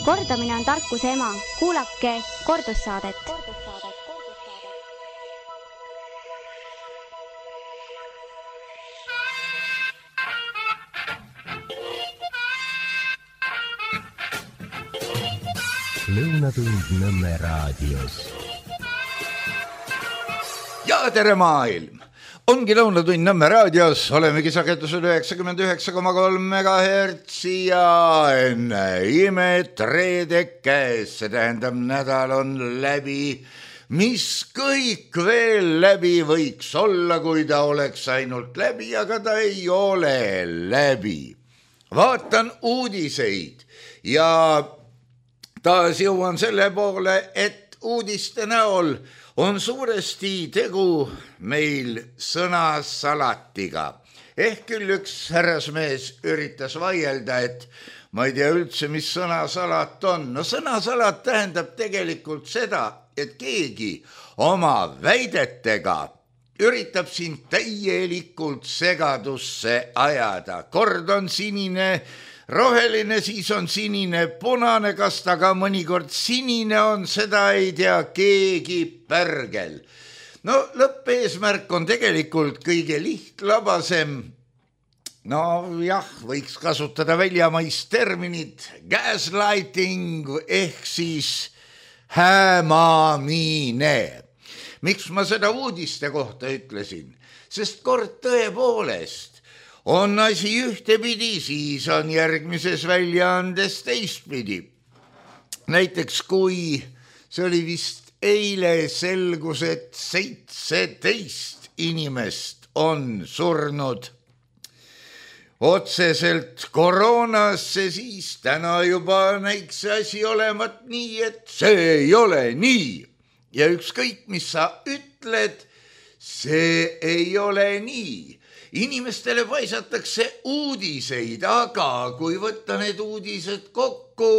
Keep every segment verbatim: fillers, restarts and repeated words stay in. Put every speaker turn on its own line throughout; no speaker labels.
Kordamine on tarkuse ema. Kuulake kordussaadet.
Lõunatund Nõmme raadios.
Ja tere maailm! Ongi Lõunatund Nõmme raadios, olemegi sagedusel üheksakümmend üheksa koma kolm megahertsi ja enne imet reedek käes, see tähendab nädal on läbi, mis kõik veel läbi võiks olla, kui ta oleks ainult läbi, aga ta ei ole läbi. Vaatan uudiseid ja taas jõuan selle poole, et uudiste näol on suuresti tegu meil sõnasalatiga. Ehk küll üks härrasmees üritas vaielda, et ma ei tea üldse, mis sõnasalat on. No sõnasalat tähendab tegelikult seda, et keegi oma väidetega üritab sind täielikult segadusse ajada. Kord on sinine roheline, siis on sinine punane, kas ta ka mõnikord sinine on, seda ei tea keegi pärgel. No lõppeesmärk on tegelikult kõige lihtlabasem. No jah, võiks kasutada väljamaist terminit gaslighting ehk siis hämamine. Miks ma seda uudiste kohta ütlesin? Sest kord tõepoolest on asi ühtepidi, siis on järgmises väljaandes teistpidi. Näiteks kui see oli vist eile selgus, et seitseteist inimest on surnud otseselt koroonasse, siis täna juba näiks see asi olevat nii, et see ei ole nii. Ja ükskõik, mis sa ütled, see ei ole nii. Inimestele paisatakse uudiseid, aga kui võtta need uudised kokku,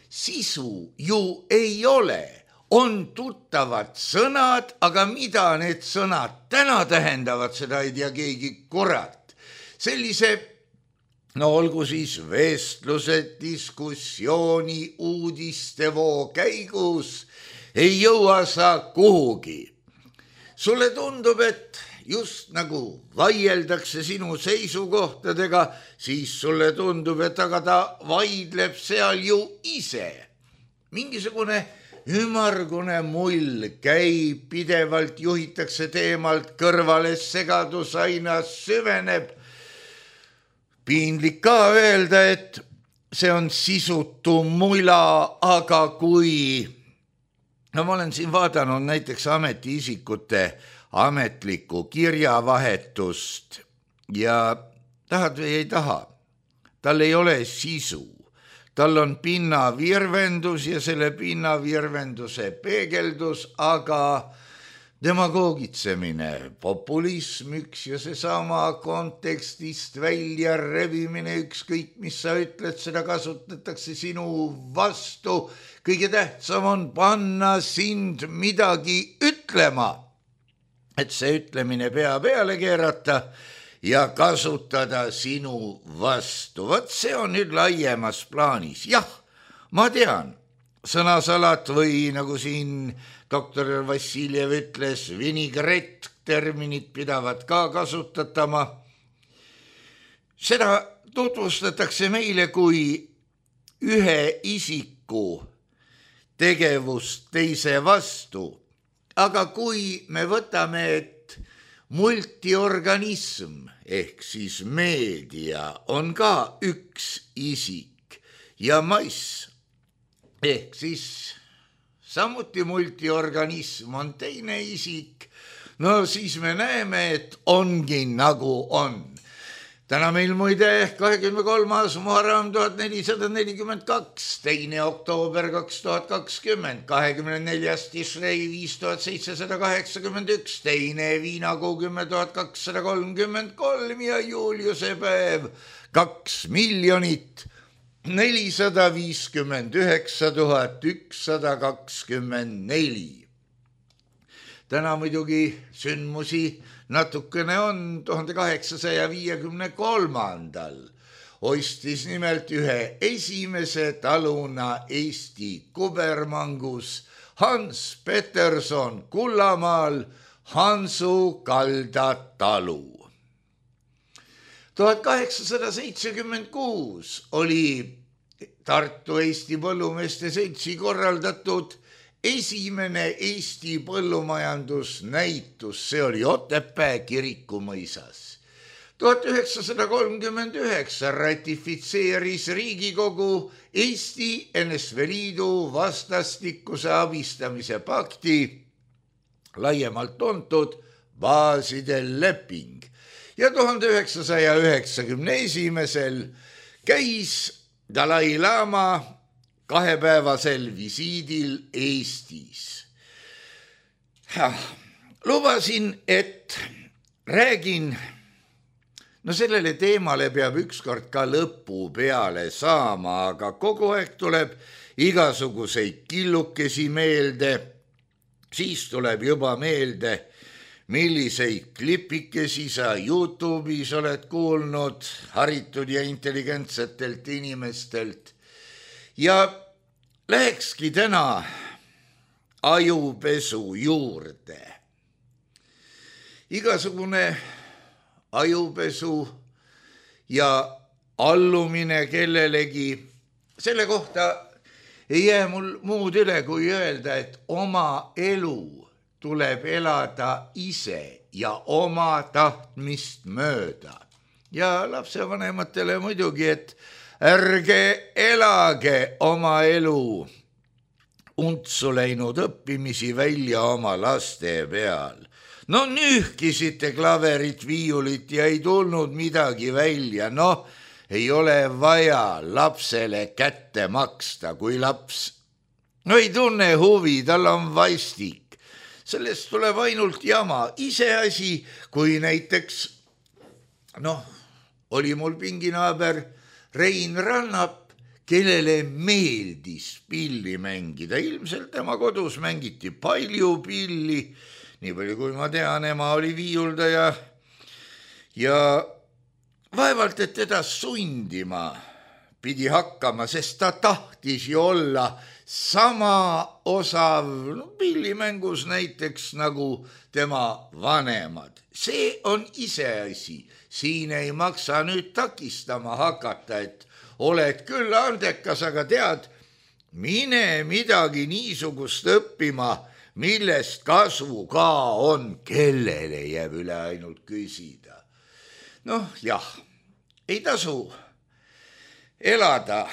sisu ju ei ole. On tuttavad sõnad, aga mida need sõnad täna tähendavad, seda ei tea keegi kurat. Sellise, no olgu siis vestlused, diskussiooni, uudistevoo käigus ei jõua sa kuhugi. Sulle tundub, et just nagu vaieldakse sinu seisukohtadega, siis sulle tundub, et aga ta vaidleb seal ju ise. Mingisugune ümargune mull käib, pidevalt juhitakse teemalt kõrvale, segadus aina süveneb. Piinlik ka öelda, et see on sisutu mula, aga kui... No ma olen siin vaadanud näiteks ametiisikute ametlikku kirjavahetust ja tahad või ei taha, tal ei ole sisu. Tal on pinnavirvendus ja selle pinnavirvenduse peegeldus, aga demagoogitsemine, populism üks ja seesama kontekstist välja rebimine, ükskõik mis sa ütled, seda kasutatakse sinu vastu. Kõige tähtsam on panna sind midagi ütlema, et see ütlemine pea peale keerata ja kasutada sinu vastu. Vot see on nüüd laiemas plaanis. Jah, ma tean, sõnasalat või nagu siin doktor Vassiljev ütles, vinigret terminit pidavad ka kasutatama. Seda tutvustatakse meile kui ühe isiku tegevust teise vastu. Aga kui me võtame, et multiorganism ehk siis meedia on ka üks isik ja mass ehk siis samuti multiorganism on teine isik, no siis me näeme, et ongi nagu on. Täna meil muide kahekümne kolmas Muharram tuhat nelisada nelikümmend kaks, teine oktoober kaks tuhat kakskümmend, kahekümne neljas Tishrei viis tuhat seitsesada kaheksakümmend üks, teine viinakuu kümme tuhat kakssada kolmkümmend kolm ja Juliuse päev kaks miljonit nelisada viiskümmend üheksa tuhat ükssada kakskümmend neli. Täna muidugi sündmusi natukene on. tuhande kaheksasaja viiekümne kolmandal ostis nimelt ühe esimese taluna Eesti kubermangus Hans Peterson Kullamaal Hansu kalda talu. tuhat kaheksasada seitsekümmend kuus oli Tartu Eesti Põllumeeste Seltsi korraldatud esimene Eesti põllumajandusnäitus, see oli Otepää Kirikumõisas. tuhat üheksasada kolmkümmend üheksa ratifitseeris Riigikogu Eesti N S V Liidu vastastikuse abistamise pakti, laiemalt tuntud baaside leping, ja tuhande üheksasaja üheksakümne esimesel käis Dalai Lama kahepäevasel visiidil Eestis. Lubasin, et räägin, no sellele teemale peab ükskord ka lõpu peale saama, aga kogu aeg tuleb igasuguseid killukesi meelde, siis tuleb juba meelde, milliseid klipikesi sa YouTube'is oled kuulnud haritud ja intelligentsetelt inimestelt. Ja lähekski täna ajupesu juurde. Igasugune ajupesu ja allumine kellelegi, selle kohta ei jää mul muud üle kui öelda, et oma elu tuleb elada ise ja oma tahtmist mööda. Ja lapsevanematele muidugi, et ärge elage oma elu untsu läinud õppimisi välja oma laste peal. No nühkisite klaverit, viiulit ja ei tulnud midagi välja. No ei ole vaja lapsele kätte maksta, kui laps no ei tunne huvi, tal on vastik. Sellest tuleb ainult jama. Iseasi, kui näiteks, noh, oli mul pinginaaber Rein Rannap, kellele meeldis pilli mängida. Ilmselt tema kodus mängiti palju pilli, nii palju kui ma tean, ema oli viiuldaja ja vaevalt, et teda sundima pidi hakkama, sest ta tahtis ju olla sama osav no, pillimängus näiteks nagu tema vanemad. See on iseasi. Siin ei maksa nüüd takistama hakata, et oled küll andekas, aga tead, mine midagi niisugust õppima, millest kasu ka on, kellele jääb üle ainult küsida. Noh, jah, ei tasu elada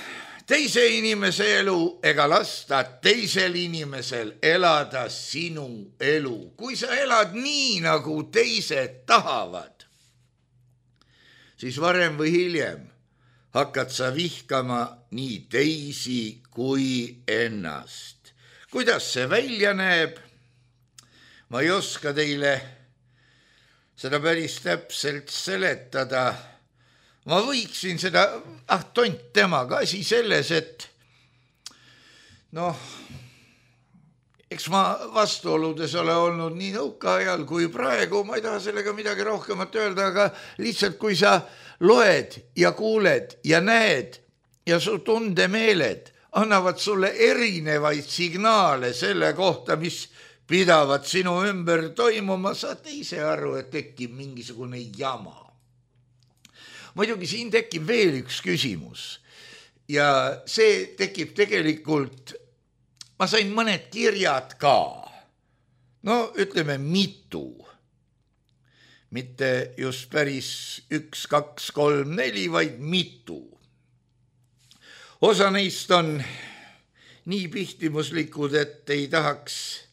teise inimese elu ega lasta teisel inimesel elada sinu elu. Kui sa elad nii, nagu teised tahavad, siis varem või hiljem hakkad sa vihkama nii teisi kui ennast. Kuidas see välja näeb? Ma ei oska teile seda päris täpselt seletada. Ma võiksin seda, ah tont temaga asi selles, et noh, eks ma vastuoludes ole olnud nii nõuka ajal kui praegu, ma ei taha sellega midagi rohkemat öelda, aga lihtsalt kui sa loed ja kuuled ja näed ja su tundemeeled annavad sulle erinevaid signaale selle kohta, mis pidavad sinu ümber toimuma, saad ise aru, et tekib mingisugune jama. Muidugi siin tekib veel üks küsimus ja see tekib tegelikult, ma sain mõned kirjad ka, no ütleme mitu, mitte just päris üks, kaks, kolm, neli, vaid mitu. Osa neist on nii pihtimuslikud, et ei tahaks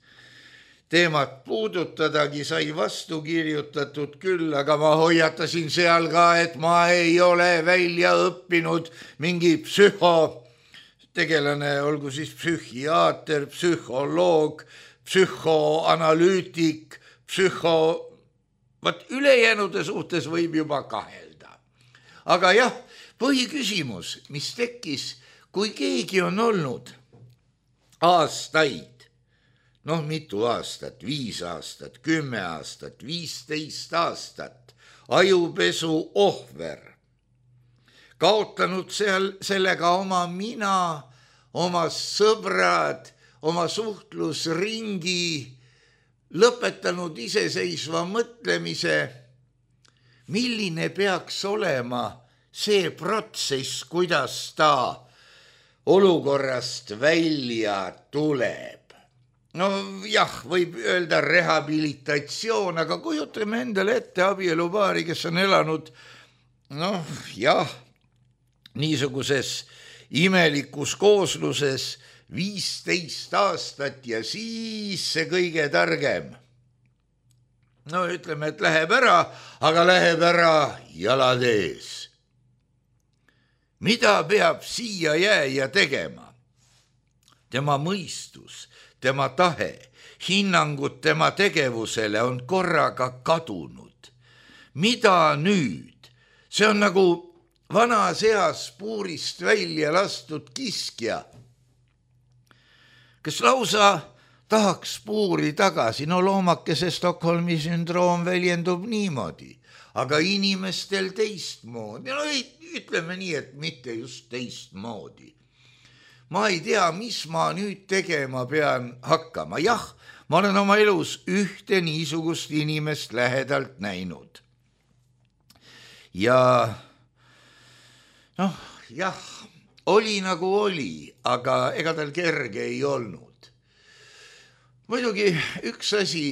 teemat puudutadagi, sai vastu kirjutatud küll, aga ma hoiatasin seal ka, et ma ei ole välja õppinud mingi psühhotegelane, olgu siis psühhiaater, psühholoog, psühhoanalüütik, psühho... Vaat ülejäänude suhtes võib juba kahelda. Aga jah, põhiküsimus, mis tekkis, kui keegi on olnud aastaid, noh, mitu aastat, viis aastat, kümme aastat, viisteist aastat, ajupesu ohver. kaotanud seal sellega oma mina, oma sõbrad, oma suhtlusringi, lõpetanud iseseisva mõtlemise, milline peaks olema see protsess, kuidas ta olukorrast välja tuleb. No jah, võib öelda rehabilitatsioon, aga kujutame endale ette abielupaari, kes on elanud, noh jah, niisuguses imelikus koosluses viisteist aastat ja siis see kõige targem. No ütleme, et läheb ära, aga läheb ära jalad ees. Mida peab siia jääja tegema? Tema mõistus, tema tahe, hinnangud tema tegevusele on korraga kadunud. Mida nüüd? See on nagu vanas eas puurist välja lastud kiskja, kes lausa tahaks puuri tagasi. No loomakese Stockholmi sündroom väljendub niimoodi, aga inimestel teistmoodi. No ei, ütleme nii, et mitte just teistmoodi. Ma ei tea, mis ma nüüd tegema pean hakkama. Jah, ma olen oma elus ühte niisugust inimest lähedalt näinud. Ja noh, jah, oli nagu oli, aga ega tal kerge ei olnud. Muidugi üks asi,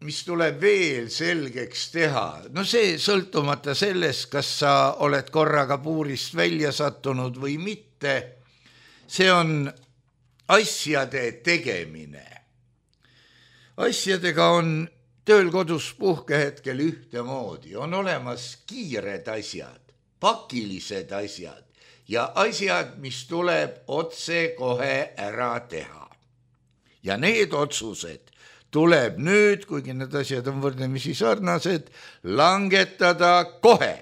mis tuleb veel selgeks teha, no see sõltumata sellest, kas sa oled korraga puurist välja sattunud või mitte, see on asjade tegemine. Asjadega on tööl kodus puhkehetkel ühtemoodi, on olemas kiired asjad, pakilised asjad ja asjad, mis tuleb otse kohe ära teha. Ja need otsused tuleb nüüd, kuigi need asjad on võrdlemisi sarnased, langetada kohe.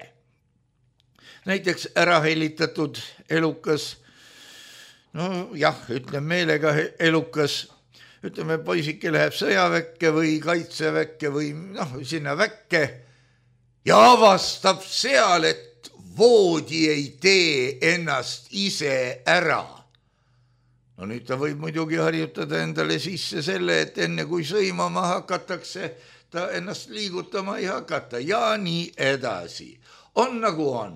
Näiteks ära hellitatud elukas, no jah, ütleme meelega elukas, ütleme poisike läheb sõjaväkke või kaitseväkke või noh, sinna väkke ja avastab seal, et voodi ei tee ennast ise ära. No nüüd ta võib muidugi harjutada endale sisse selle, et enne kui sõimama hakatakse, ta ennast liigutama ei hakata ja nii edasi. On nagu on.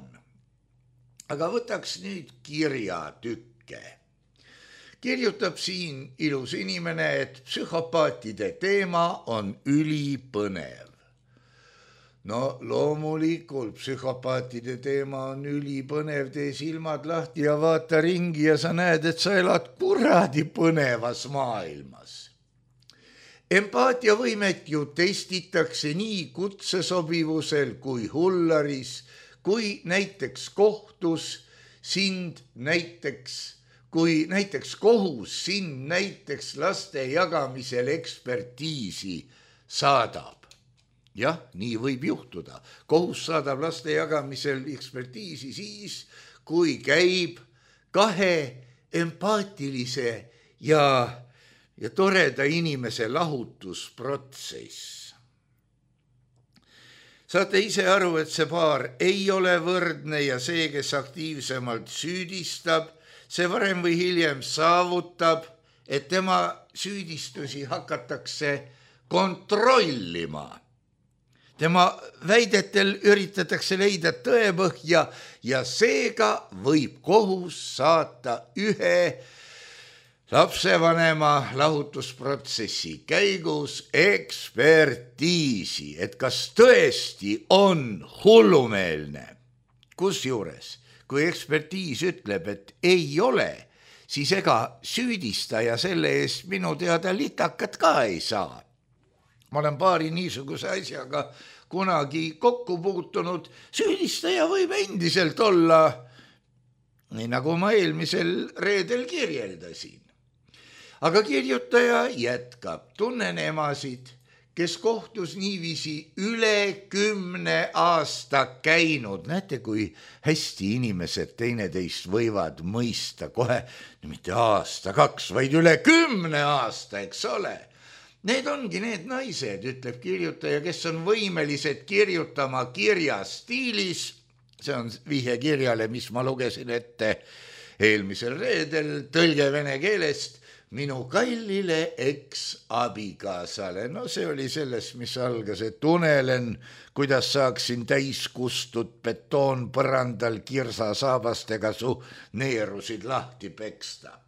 Aga võtaks nüüd kirjatükke. Kirjutab siin ilus inimene, et psühhopaatide teema on ülipõnev. No loomulikult psühhopaatide teema on ülipõnev, tee silmad lahti ja vaata ringi ja sa näed, et sa elad kuradi põnevas maailmas. Empaatiavõimet ju testitakse nii kutsesobivusel kui hullaris, kui näiteks kohtus sind näiteks, kui näiteks kohus sind näiteks laste jagamisel ekspertiisi saadab. Jah, nii võib juhtuda. Kohus saadab laste jagamisel ekspertiisi siis, kui käib kahe empaatilise ja, ja toreda inimese lahutusprotsess. Saate ise aru, et see paar ei ole võrdne ja see, kes aktiivsemalt süüdistab, see varem või hiljem saavutab, et tema süüdistusi hakatakse kontrollima. Tema väidetel üritatakse leida tõepõhja ja seega võib kohus saata ühe lapsevanema lahutusprotsessi käigus ekspertiisi, et kas tõesti on hullumeelne. Kusjuures, kui ekspertiis ütleb, et ei ole, siis ega süüdistaja selle eest minu teada litakat ka ei saa. Ma olen paari niisuguse asjaga kunagi kokku puutunud, süüdistaja võib endiselt olla, nii nagu ma eelmisel reedel kirjeldasin. Aga kirjutaja jätkab, tunnen emasid, kes kohtus niiviisi üle kümne aasta käinud. Näete, kui hästi inimesed teineteist võivad mõista kohe, mitte aasta, kaks, vaid üle kümne aasta, eks ole. Need ongi need naised, ütleb kirjutaja, kes on võimelised kirjutama kirja stiilis see on vihje kirjale, mis ma lugesin ette eelmisel reedel, tõlge vene keelest minu kallile eks-abikaasale. No see oli sellest, mis algas, et unelen, kuidas saaksin täiskustut betoon põrandal kirsa saabastega su neerusid lahti peksta.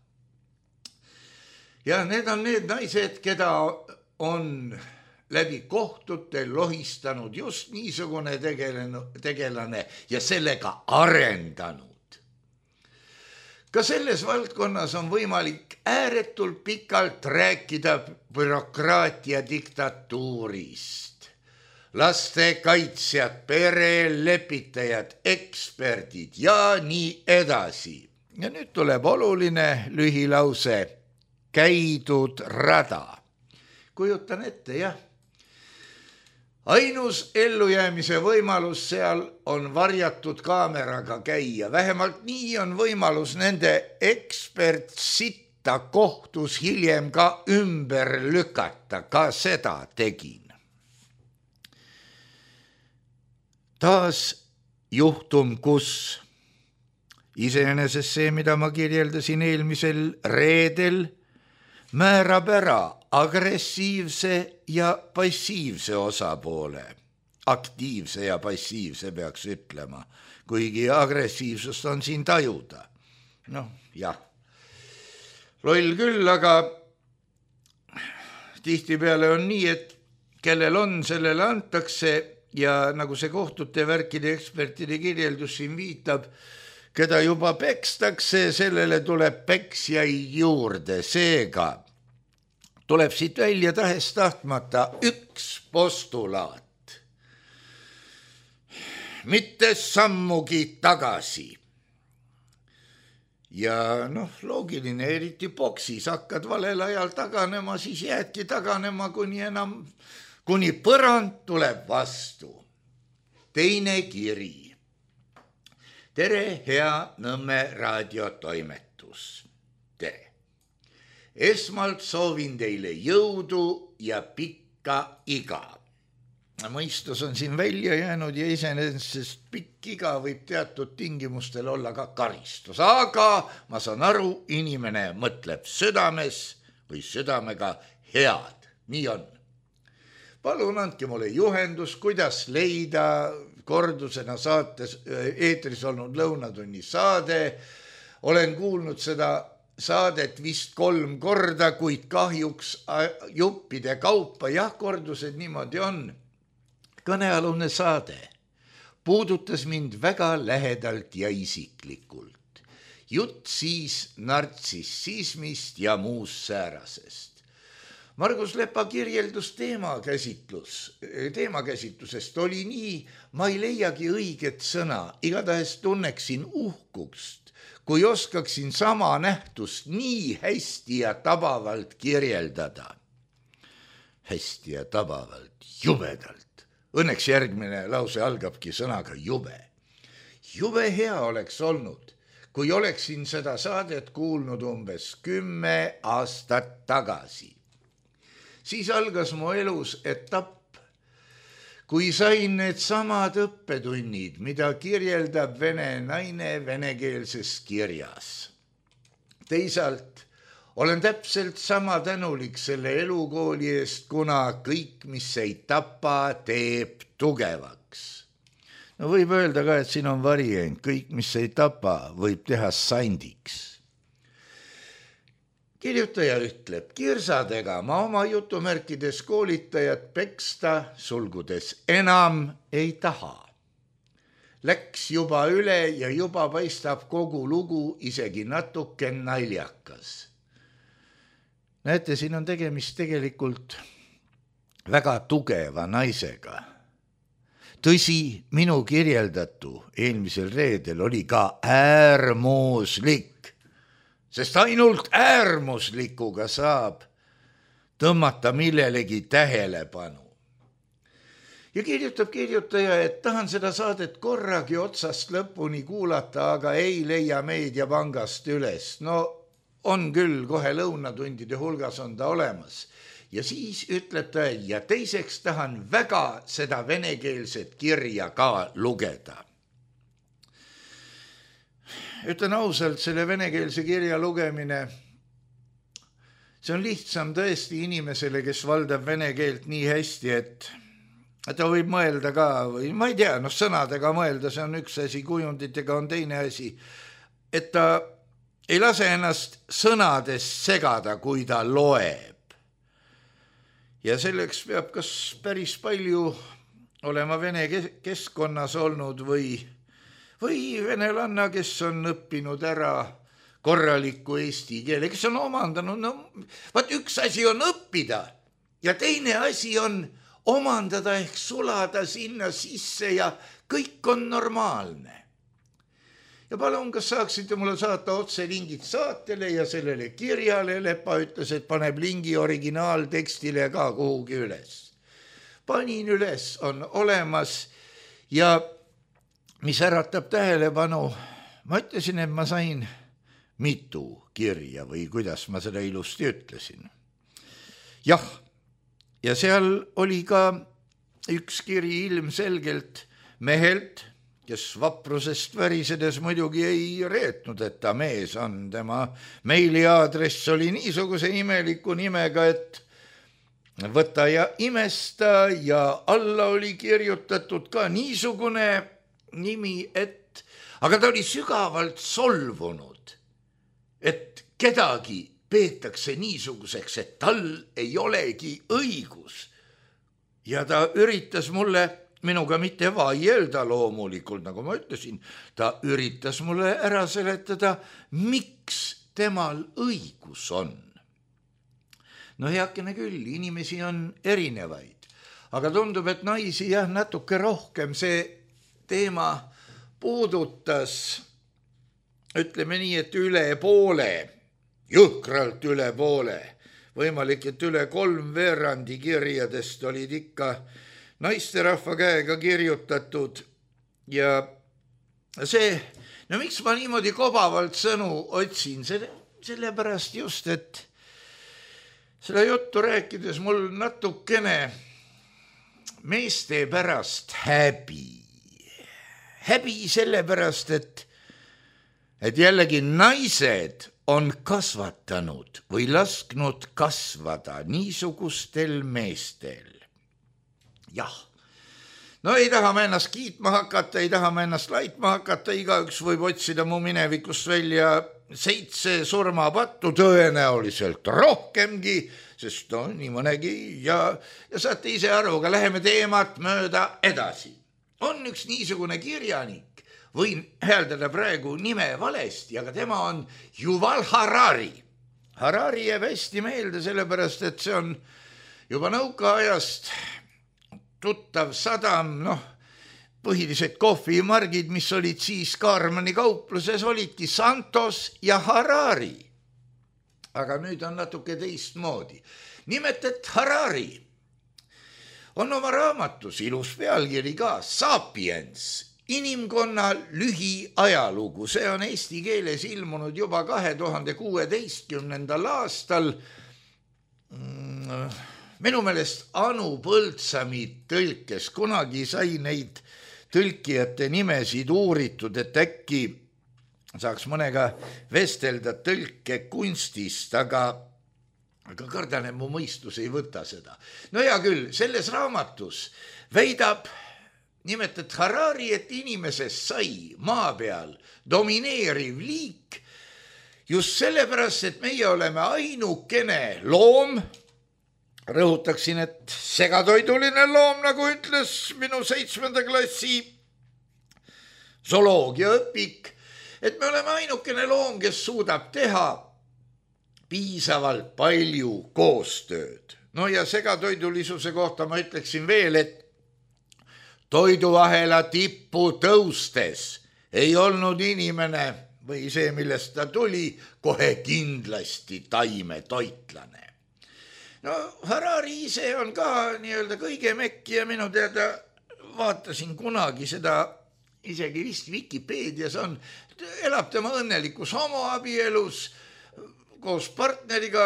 Ja need on need naised, keda on läbi kohtute lohistanud just niisugune tegelane ja sellega arendanud. Ka selles valdkonnas on võimalik ääretult pikalt rääkida bürokraatia diktatuurist. Lastekaitsjad, perelepitajad, eksperdid ja nii edasi. Ja nüüd tuleb oluline lühilause. Käidud rada. Kujutan ette, jah. Ainus ellujäämise võimalus seal on varjatud kaameraga käia. Vähemalt nii on võimalus nende ekspertsitta kohtus hiljem ka ümber lükata. Ka seda tegin. Taas juhtum, kus iseenesest see, mida ma kirjeldasin eelmisel reedel, määrab ära agressiivse ja passiivse osapoole. Aktiivse ja passiivse peaks ütlema, kuigi agressiivsust on siin tajuda. Noh, jah. Loll küll, aga tihtipeale on nii, et kellel on, sellele antakse ja nagu see kohtute värkide ekspertide kirjeldus siin viitab, keda juba pekstakse, sellele tuleb peksjaid juurde. Seega tuleb siit välja tahes tahtmata üks postulaat. Mitte sammugi tagasi. Ja noh, loogiline, eriti boksis hakkad valel ajal taganema, siis jäädki taganema, kuni enam, kuni põrand tuleb vastu. Teine kiri. Tere, hea Nõmme raadiotoimetus. Tere. Esmalt soovin teile jõudu ja pikka iga. Mõistus on siin välja jäänud ja iseenesest pikk iga võib teatud tingimustel olla ka karistus. Aga ma saan aru, inimene mõtleb südames või südamega head. Nii on. Palun andke mulle juhendus, kuidas leida kordusena saates eetris olnud lõunatunni saade. Olen kuulnud seda saadet vist kolm korda, kuid kahjuks juppide kaupa. Jah, kordused niimoodi on. Kõnealune saade puudutas mind väga lähedalt ja isiklikult. Jutt siis nartsissismist ja muust säärasest. Margus Lepa kirjeldus teemakäsitlus, teemakäsitlusest oli nii, ma ei leiagi õiget sõna, igatahes tunneksin uhkust, kui oskaksin sama nähtust nii hästi ja tabavalt kirjeldada. Hästi ja tabavalt, jubedalt. Õnneks järgmine lause algabki sõnaga jube. Jube hea oleks olnud, kui oleksin seda saadet kuulnud umbes kümme aastat tagasi. Siis algas mu elus etapp, kui sain need samad õppetunnid, mida kirjeldab vene naine venekeelses kirjas. Teisalt olen täpselt sama tänulik selle elukooli eest, kuna kõik, mis ei tapa, teeb tugevaks. No võib öelda ka, et siin on variant, kõik, mis ei tapa, võib teha sandiks. Kirjutaja ütleb, kirsadega ma oma jutumärkides koolitajat peksta, sulgudes enam ei taha. Läks juba üle ja juba paistab kogu lugu isegi natuke naljakas. Näete, siin on tegemist tegelikult väga tugeva naisega. Tõsi, minu kirjeldatu eelmisel reedel oli ka äärmuslik. Sest ainult äärmuslikuga saab tõmmata millelegi tähelepanu. Ja kirjutab kirjutaja, et tahan seda saadet korragi otsast lõpuni kuulata, aga ei leia meediapangast üles. No on küll, kohe lõunatundide hulgas on ta olemas. Ja siis ütleb ta, ja teiseks tahan väga seda venekeelset kirja ka lugeda. ütlen ausalt, selle venekeelse kirja lugemine, see on lihtsam tõesti inimesele, kes valdab vene keelt nii hästi, et ta võib mõelda ka, või ma ei tea, noh sõnadega mõelda, see on üks asi, kujunditega on teine asi, et ta ei lase ennast sõnadest segada, kui ta loeb. Ja selleks peab kas päris palju olema vene keskkonnas olnud või, või venelanna, kes on õppinud ära korraliku eesti keele, kes on omandanud, no vaat üks asi on õppida ja teine asi on omandada ehk sulada sinna sisse ja kõik on normaalne. Ja palun, kas saaksite mulle saata otse lingid saatele ja sellele kirjale, Lepa ütles, et paneb lingi originaaltekstile ka kuhugi üles. Panin üles, on olemas ja mis äratab tähelepanu, ma ütlesin, et ma sain mitu kirja või kuidas ma seda ilusti ütlesin. Jah, ja seal oli ka üks kiri ilmselgelt mehelt, kes vaprusest värisedes muidugi ei reetnud, et ta mees on. Tema meiliaadress oli niisuguse imeliku nimega, et võta ja imesta ja alla oli kirjutatud ka niisugune nimi, et aga ta oli sügavalt solvunud, et kedagi peetakse niisuguseks, et tal ei olegi õigus. Ja ta üritas mulle, minuga mitte vaielda loomulikult, nagu ma ütlesin, ta üritas mulle ära seletada, miks temal õigus on. No heakene küll, inimesi on erinevaid, aga tundub, et naisi jah, natuke rohkem see teema puudutas, ütleme nii, et üle poole, jõhkralt üle poole, võimalik, et üle kolm veerandi kirjadest olid ikka naisterahva käega kirjutatud ja see, no miks ma niimoodi kobavalt sõnu otsin, selle, sellepärast just, et selle juttu rääkides mul natukene meeste pärast häbi. Häbi sellepärast, et, et jällegi naised on kasvatanud või lasknud kasvada niisugustel meestel. Jah, no ei taha ma ennast kiitma hakata, ei taha ma ennast laitma hakata, igaüks võib otsida mu minevikust välja seitse surmapattu, tõenäoliselt rohkemgi, sest no nii mõnegi ja, ja saate ise aru, aga läheme teemat mööda edasi. On üks niisugune kirjanik, võin hääldada praegu nime valesti, aga tema on Yuval Harari. Harari jääb hästi meelde, sellepärast, et see on juba nõukaajast tuttav sadam, noh, põhilised kohvimargid, mis olid siis Kaarmani kaupluses, olidki Santos ja Harari. Aga nüüd on natuke teistmoodi. Nimelt, et Harari on oma raamatus ilus pealkiri ka Sapiens, inimkonna lühiajalugu. See on eesti keeles ilmunud juba kahe tuhande kuueteistkümnendal aastal. Minu meelest Anu Põldsami tõlkes, kunagi sai neid tõlkijate nimesid uuritud, et äkki saaks mõnega vestelda tõlke kunstist, aga aga kardan, et mu mõistus ei võta seda. No hea küll, selles raamatus väidab nimelt, et Harari, et inimesest sai maa peal domineeriv liik just sellepärast, et meie oleme ainukene loom, rõhutaksin, et segatoiduline loom, nagu ütles minu seitsmenda klassi zooloogiaõpik, et me oleme ainukene loom, kes suudab teha piisavalt palju koostööd. No ja segatoidulisuse kohta ma ütleksin veel, et toiduahela tippu tõustes ei olnud inimene või see, millest ta tuli, kohe kindlasti taimetoitlane. No Harari ise on ka nii-öelda kõige mekki ja minu teada vaatasin kunagi seda, isegi vist Wikipeedias on, elab tema õnnelikus homoabielus koos partneriga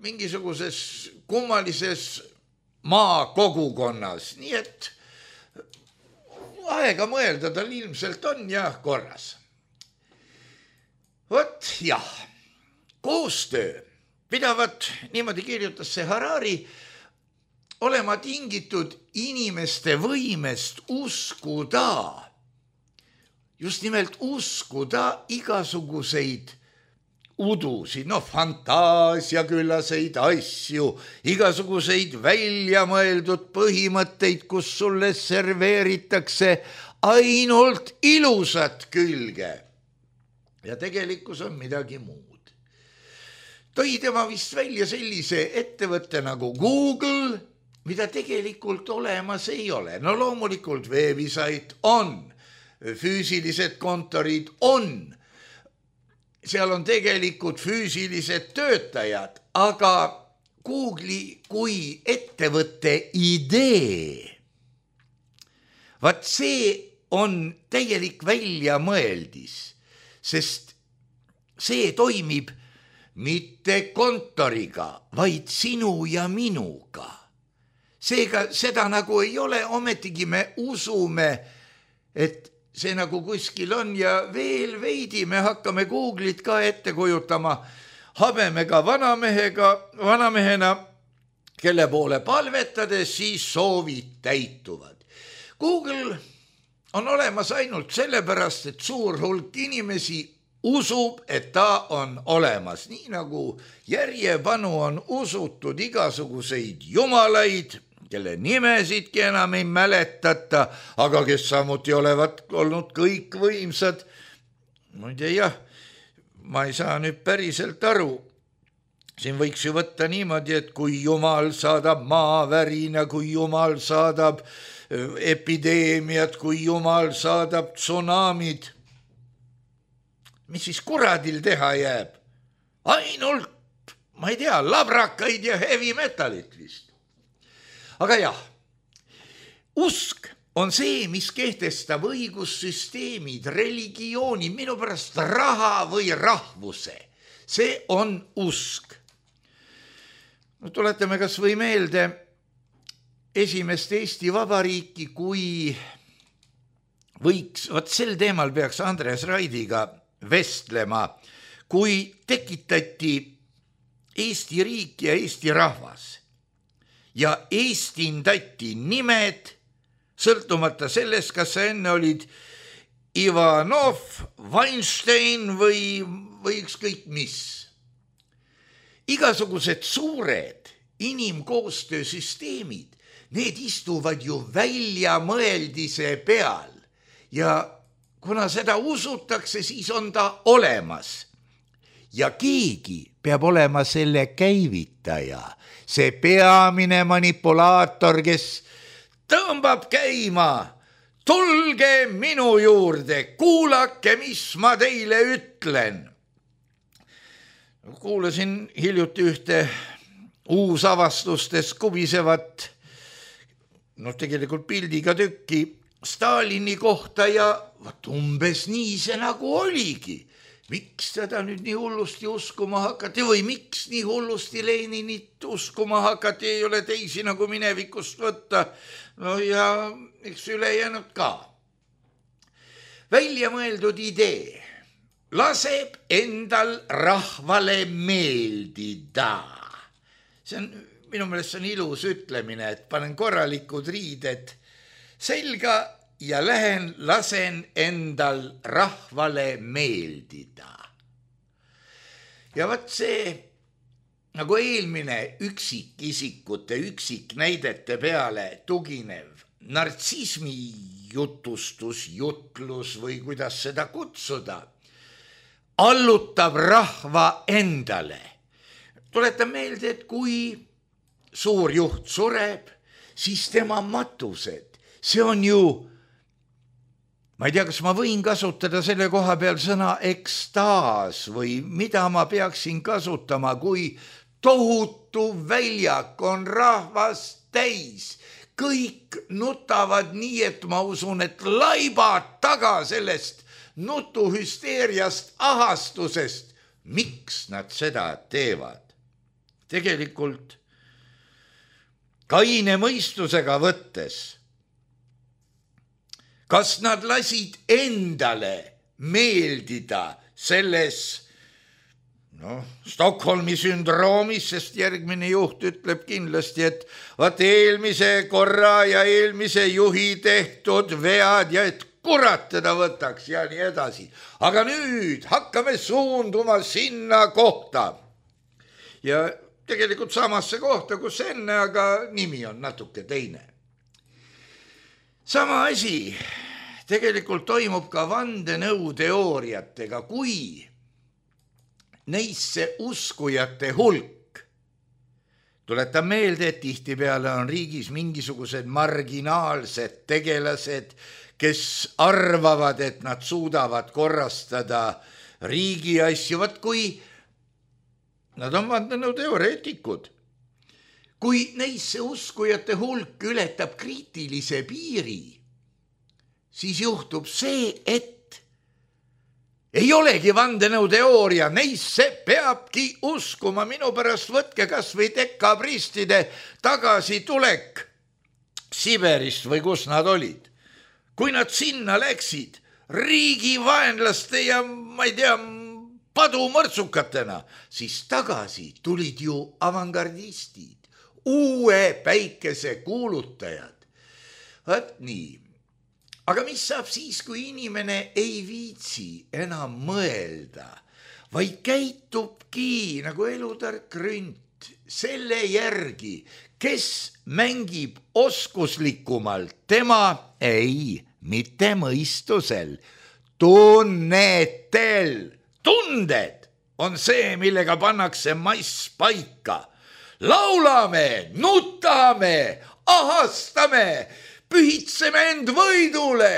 mingisuguses kummalises maakogukonnas, nii et aega mõelda tal ilmselt on ja korras. Vot jah, koostöö pidavat, niimoodi kirjutas see Harari, olema tingitud inimeste võimest uskuda, just nimelt uskuda igasuguseid udusid, no fantaasiaküllaseid asju, igasuguseid väljamõeldud põhimõtteid, kus sulle serveeritakse ainult ilusat külge. Ja tegelikkus on midagi muud. Tõi tema vist välja sellise ettevõtte nagu Google, mida tegelikult olemas ei ole. No loomulikult veebisait on, füüsilised kontorid on, seal on tegelikult füüsilised töötajad, aga Google'i kui ettevõtte idee, vaat see on täielik väljamõeldis, sest see toimib mitte kontoriga, vaid sinu ja minuga. Seega seda nagu ei ole, ometigi me usume, et see nagu kuskil on ja veel veidi me hakkame Google'it ka ette kujutama habemega vanamehega, vanamehena, kelle poole palvetades siis soovid täituvad. Google on olemas ainult sellepärast, et suur hulk inimesi usub, et ta on olemas, nii nagu järjepanu on usutud igasuguseid jumalaid, kelle nimesidki enam ei mäletata, aga kes samuti olevat olnud kõik võimsad. Muide jah, ma ei saa nüüd päriselt aru. Siin võiks ju võtta niimoodi, et kui Jumal saadab maavärina, kui Jumal saadab epideemiat, kui Jumal saadab tsunamid, mis siis kuradil teha jääb? Ainult, ma ei tea, labrakaid ja heavy metalit vist. Aga jah, usk on see, mis kehtestab õigussüsteemid, religiooni, minu pärast raha või rahvuse. See on usk. No, tuletame kas või meelde esimest Eesti Vabariiki, kui võiks, vot sel teemal peaks Andres Raidiga vestlema, kui tekitati Eesti riik ja Eesti rahvas ja eestindati nimed, sõltumata sellest, kas sa enne olid Ivanov, Weinstein või, või ükskõik mis. Igasugused suured inimkoostöösüsteemid, need istuvad ju väljamõeldise peal ja kuna seda usutakse, siis on ta olemas. Ja keegi peab olema selle käivitaja, see peamine manipulaator, kes tõmbab käima. Tulge minu juurde, kuulake, mis ma teile ütlen. Kuulasin hiljuti ühte uusavastustes kubisevat, no tegelikult pildiga tükki Stalini kohta ja vaat umbes nii see nagu oligi. Miks teda nüüd nii hullusti uskuma hakati või miks nii hullusti Leninit uskuma hakati, ei ole teisi nagu minevikust võtta. No ja eks ülejäänud ka. Väljamõeldud idee laseb endal rahvale meeldida. See on, minu meelest see on ilus ütlemine, et panen korralikud riided selga ja lähen, lasen endal rahvale meeldida. Ja võt see nagu eelmine üksikisikute, üksiknäidete peale tuginev nartsismi jutustus, jutlus või kuidas seda kutsuda, allutab rahva endale. Tuletan meelde, et kui suur juht sureb, siis tema matused, see on ju, ma ei tea, kas ma võin kasutada selle koha peal sõna ekstaas või mida ma peaksin kasutama, kui tohutu väljak on rahvast täis. Kõik nutavad nii, et ma usun, et laibad taga sellest nutuhüsteeriast, ahastusest. Miks nad seda teevad? Tegelikult kaine mõistusega võttes, kas nad lasid endale meeldida selles noh, Stockholmi sündroomis, sest järgmine juht ütleb kindlasti, et vaat eelmise korra ja eelmise juhi tehtud vead ja et kurat teda võtaks ja nii edasi. Aga nüüd hakkame suunduma sinna kohta. Ja tegelikult samasse kohta, kus enne, aga nimi on natuke teine. Sama asi tegelikult toimub ka vandenõuteooriatega, kui neisse uskujate hulk. Tuletan meelde, et tihtipeale on riigis mingisugused marginaalsed tegelased, kes arvavad, et nad suudavad korrastada riigi asju, vaat kui nad on vandenõuteoreetikud. Kui neisse uskujate hulk ületab kriitilise piiri, siis juhtub see, et ei olegi vandenõuteooria, neisse peabki uskuma. Minu pärast võtke kas või dekabristide tagasitulek Siberist või kus nad olid. Kui nad sinna läksid riigi vaenlaste ja ma ei tea, padumõrtsukatena, siis tagasi tulid ju avangardistid, uue päikese kuulutajad. Vaat nii. Aga mis saab siis, kui inimene ei viitsi enam mõelda, vaid käitubki nagu elutark rünt selle järgi, kes mängib oskuslikumalt, tema ei, mitte mõistusel, tunnetel. Tunded on see, millega pannakse mass paika. Laulame, nutame, ahastame, pühitseme end võidule.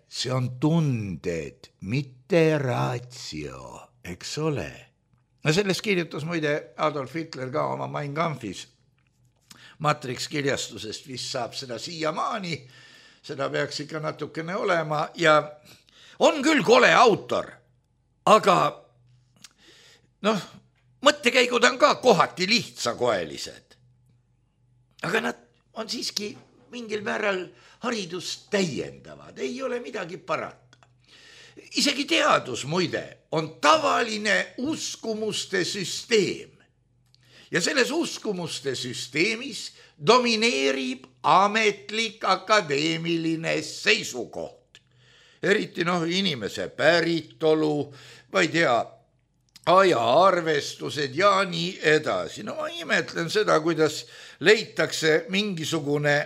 See on tunded, mitte ratio, eks ole. No sellest kirjutas muide Adolf Hitler ka oma Mein Kampfis. Matrix kirjastusest vist saab seda siiamaani, seda peaks ikka natukene olema ja on küll kole autor, aga noh, mõttekäigud on ka kohati lihtsakoelised. Aga nad on siiski mingil määral haridust täiendavad, ei ole midagi parata. Isegi teadus muide on tavaline uskumuste süsteem. Ja selles uskumuste süsteemis domineerib ametlik akadeemiline seisukoht. Eriti noh, inimese päritolu, ma ei tea, ajaarvestused ja nii edasi. No ma imetlen seda, kuidas leitakse mingisugune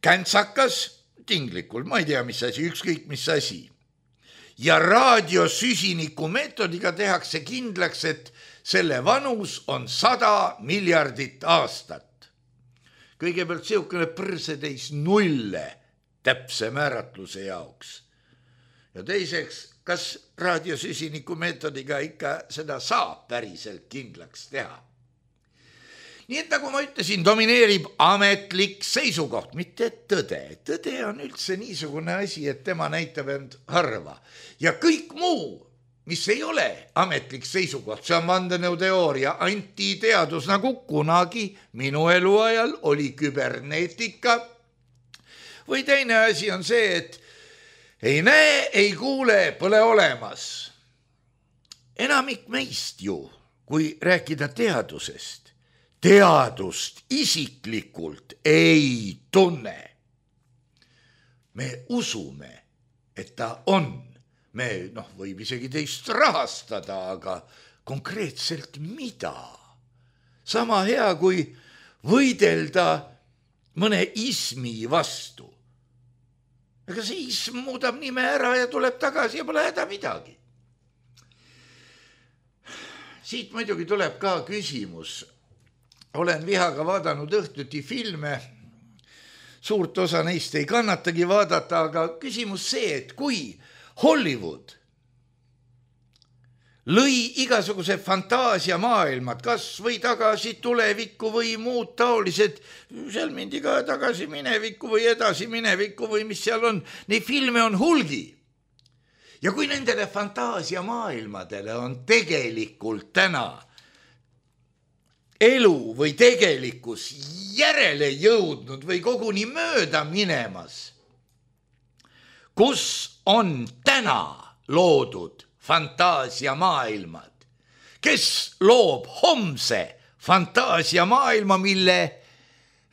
käntsakas tinglikul, ma ei tea, mis asi, ükskõik mis asi. Ja raadiosüsiniku meetodiga tehakse kindlaks, et selle vanus on sada miljardit aastat. Kõigepealt siukene põrsetäis nulle täpse määratluse jaoks. Ja teiseks, kas raadiosüsiniku meetodiga ikka seda saab päriselt kindlaks teha? Nii et nagu ma ütlesin, domineerib ametlik seisukoht, mitte tõde. Tõde on üldse niisugune asi, et tema näitab end harva. Ja kõik muu, mis ei ole ametlik seisukoht, see on vandenõuteooria, antiteadus, nagu kunagi minu eluajal oli küberneetika. Või teine asi on see, et ei näe, ei kuule, pole olemas. Enamik meist ju, kui rääkida teadusest, teadust isiklikult ei tunne. Me usume, et ta on. Me noh, võib isegi teist rahastada, aga konkreetselt mida? Sama hea, kui võidelda mõne ismi vastu. Ega see ism muudab nime ära ja tuleb tagasi ja pole häda midagi. Siit muidugi tuleb ka küsimus. Olen vihaga vaadanud õhtuti filme, suurt osa neist ei kannatagi vaadata, aga küsimus see, et kui Hollywood lõi igasuguse fantaasia maailmad, kas või tagasi tulevikku või muud taolised, seal mindi ka tagasi minevikku või edasi minevikku või mis seal on, neid filme on hulgi. Ja kui nendele fantaasia maailmadele on tegelikult täna elu või tegelikkus järele jõudnud või koguni mööda minemas, kus on täna loodud fantaasiamaailmad, kes loob homse fantaasiamaailma, mille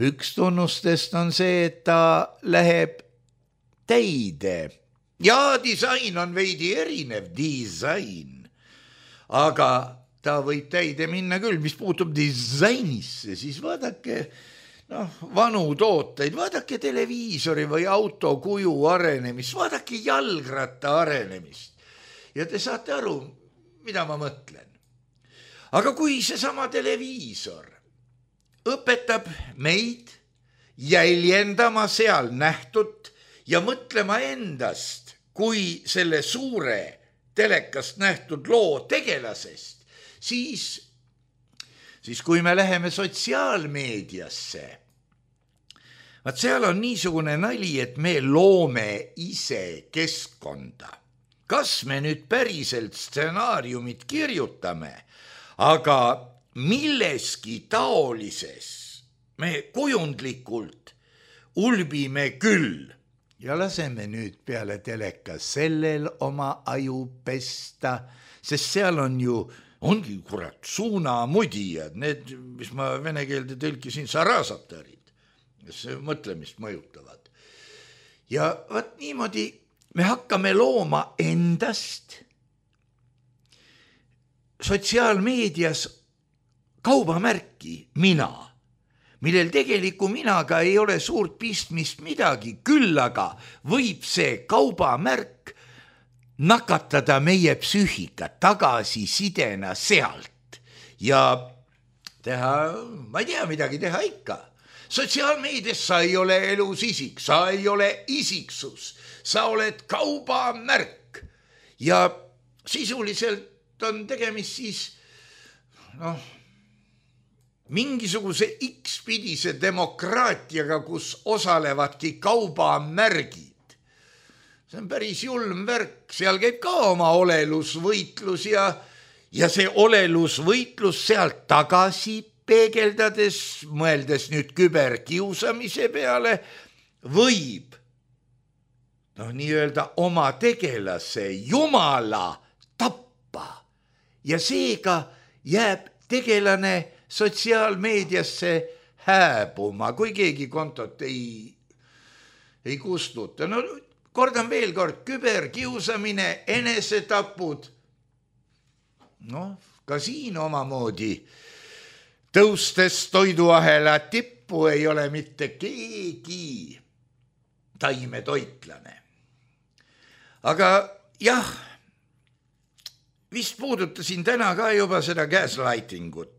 üks tunnustest on see, et ta läheb täide. Ja disain on veidi erinev disain, aga ta võib täide minna küll. Mis puutub disainisse, siis vaadake noh, vanu tooteid, vaadake televiisori või auto kuju arenemist, vaadake jalgratta arenemist. Ja te saate aru, mida ma mõtlen. Aga kui seesama televiisor õpetab meid jäljendama seal nähtut ja mõtlema endast kui selle suure telekast nähtud loo tegelasest, siis, siis kui me läheme sotsiaalmeediasse, vaat seal on niisugune nali, et me loome ise keskkonda. Kas me nüüd päriselt stsenaariumit kirjutame, aga milleski taolises me kujundlikult ulbime küll ja laseme nüüd peale teleka sellel oma aju pesta, sest seal on ju, ongi kurat suunamudijad, need, mis ma vene keelde tõlkisin, sarasatarid, kes mõtlemist mõjutavad. Ja vaat niimoodi me hakkame looma endast sotsiaalmeedias kaubamärki mina, millel tegeliku minaga ei ole suurt pistmist midagi, küll aga võib see kaubamärk nakatada meie psüühikat tagasisidena sealt ja teha, ma ei tea, midagi teha ikka. Sotsiaalmeedias sa ei ole elus isik, sa ei ole isiksus, sa oled kaubamärk ja sisuliselt on tegemist siis noh, mingisuguse X-pidise demokraatiaga, kus osalevadki kaubamärgid. See on päris julm värk, seal käib ka oma olelusvõitlus ja, ja see olelusvõitlus sealt tagasi peegeldades, mõeldes nüüd küberkiusamise peale, võib noh, nii-öelda oma tegelase jumala tappa ja seega jääb tegelane sotsiaalmeediasse hääbuma, kui keegi kontot ei, ei kustuta. No kordan veel kord, küberkiusamine, enesetapud. Noh, ka siin omamoodi tõustes toiduahela tippu ei ole mitte keegi taimetoitlane. Aga jah, vist puudutasin täna ka juba seda gaslightingut.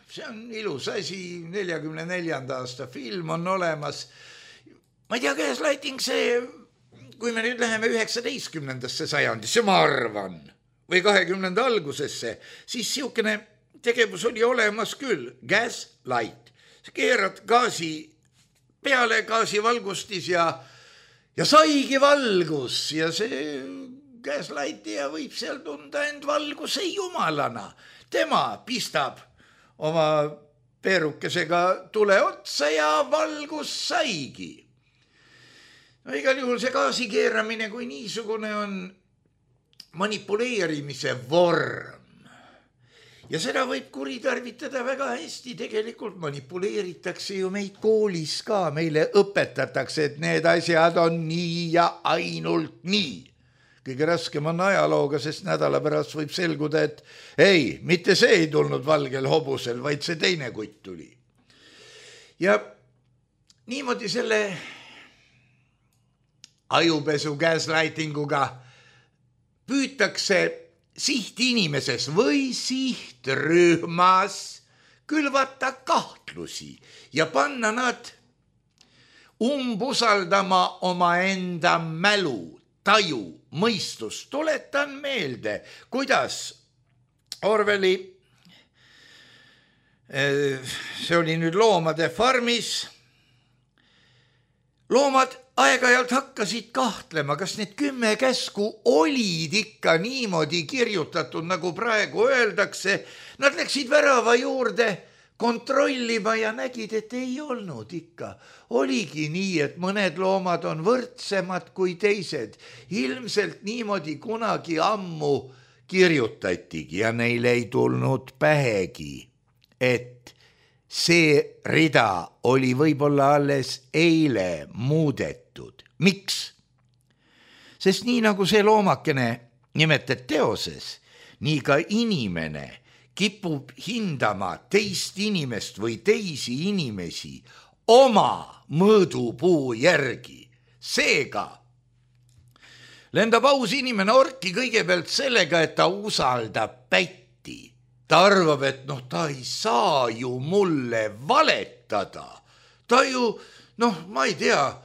See on ilus asi, neljakümne neljanda aasta film on olemas. Ma ei tea, gaslighting see, kui me nüüd läheme üheksateistkümnendasse sajandisse, ma arvan, või kahekümnenda algusesse, siis siukene tegevus oli olemas küll, gaslight. Keerad gaasi peale, gaasivalgustis ja, ja saigi valgus ja see gaslightija võib seal tunda end valguse jumalana. Tema pistab oma peerukesega tule otsa ja valgus saigi. No igal juhul see gaasi keeramine kui niisugune on manipuleerimise vorm. Ja seda võib kuritarvitada väga hästi, tegelikult manipuleeritakse ju meid koolis ka, meile õpetatakse, et need asjad on nii ja ainult nii. Kõige raskem on ajalooga, sest nädala pärast võib selguda, et ei, mitte see ei tulnud valgel hobusel, vaid see teine kutt tuli. Ja niimoodi selle ajupesu gaslightinguga püütakse sihtinimises või sihtrühmas külvata kahtlusi ja panna nad umbusaldama oma enda mälu, taju, mõistus. Tuletan meelde, kuidas Orwelli, see oli nüüd Loomade farmis, loomad aeg-ajalt hakkasid kahtlema, kas need kümme käsku olid ikka niimoodi kirjutatud, nagu praegu öeldakse. Nad läksid värava juurde, kontrollima ja nägid, et ei olnud ikka. Oligi nii, et mõned loomad on võrdsemad kui teised. Ilmselt niimoodi kunagi ammu kirjutatigi ja neile ei tulnud pähegi, et see rida oli võib-olla alles eile muudetud. Miks? Sest nii nagu see loomakene nimetad teoses, nii ka inimene kipub hindama teist inimest või teisi inimesi oma mõõdupuu järgi. Seega lendab aus inimene orki kõigepealt sellega, et ta usaldab pätti. Ta arvab, et noh, ta ei saa ju mulle valetada. Ta ju, noh, ma ei tea,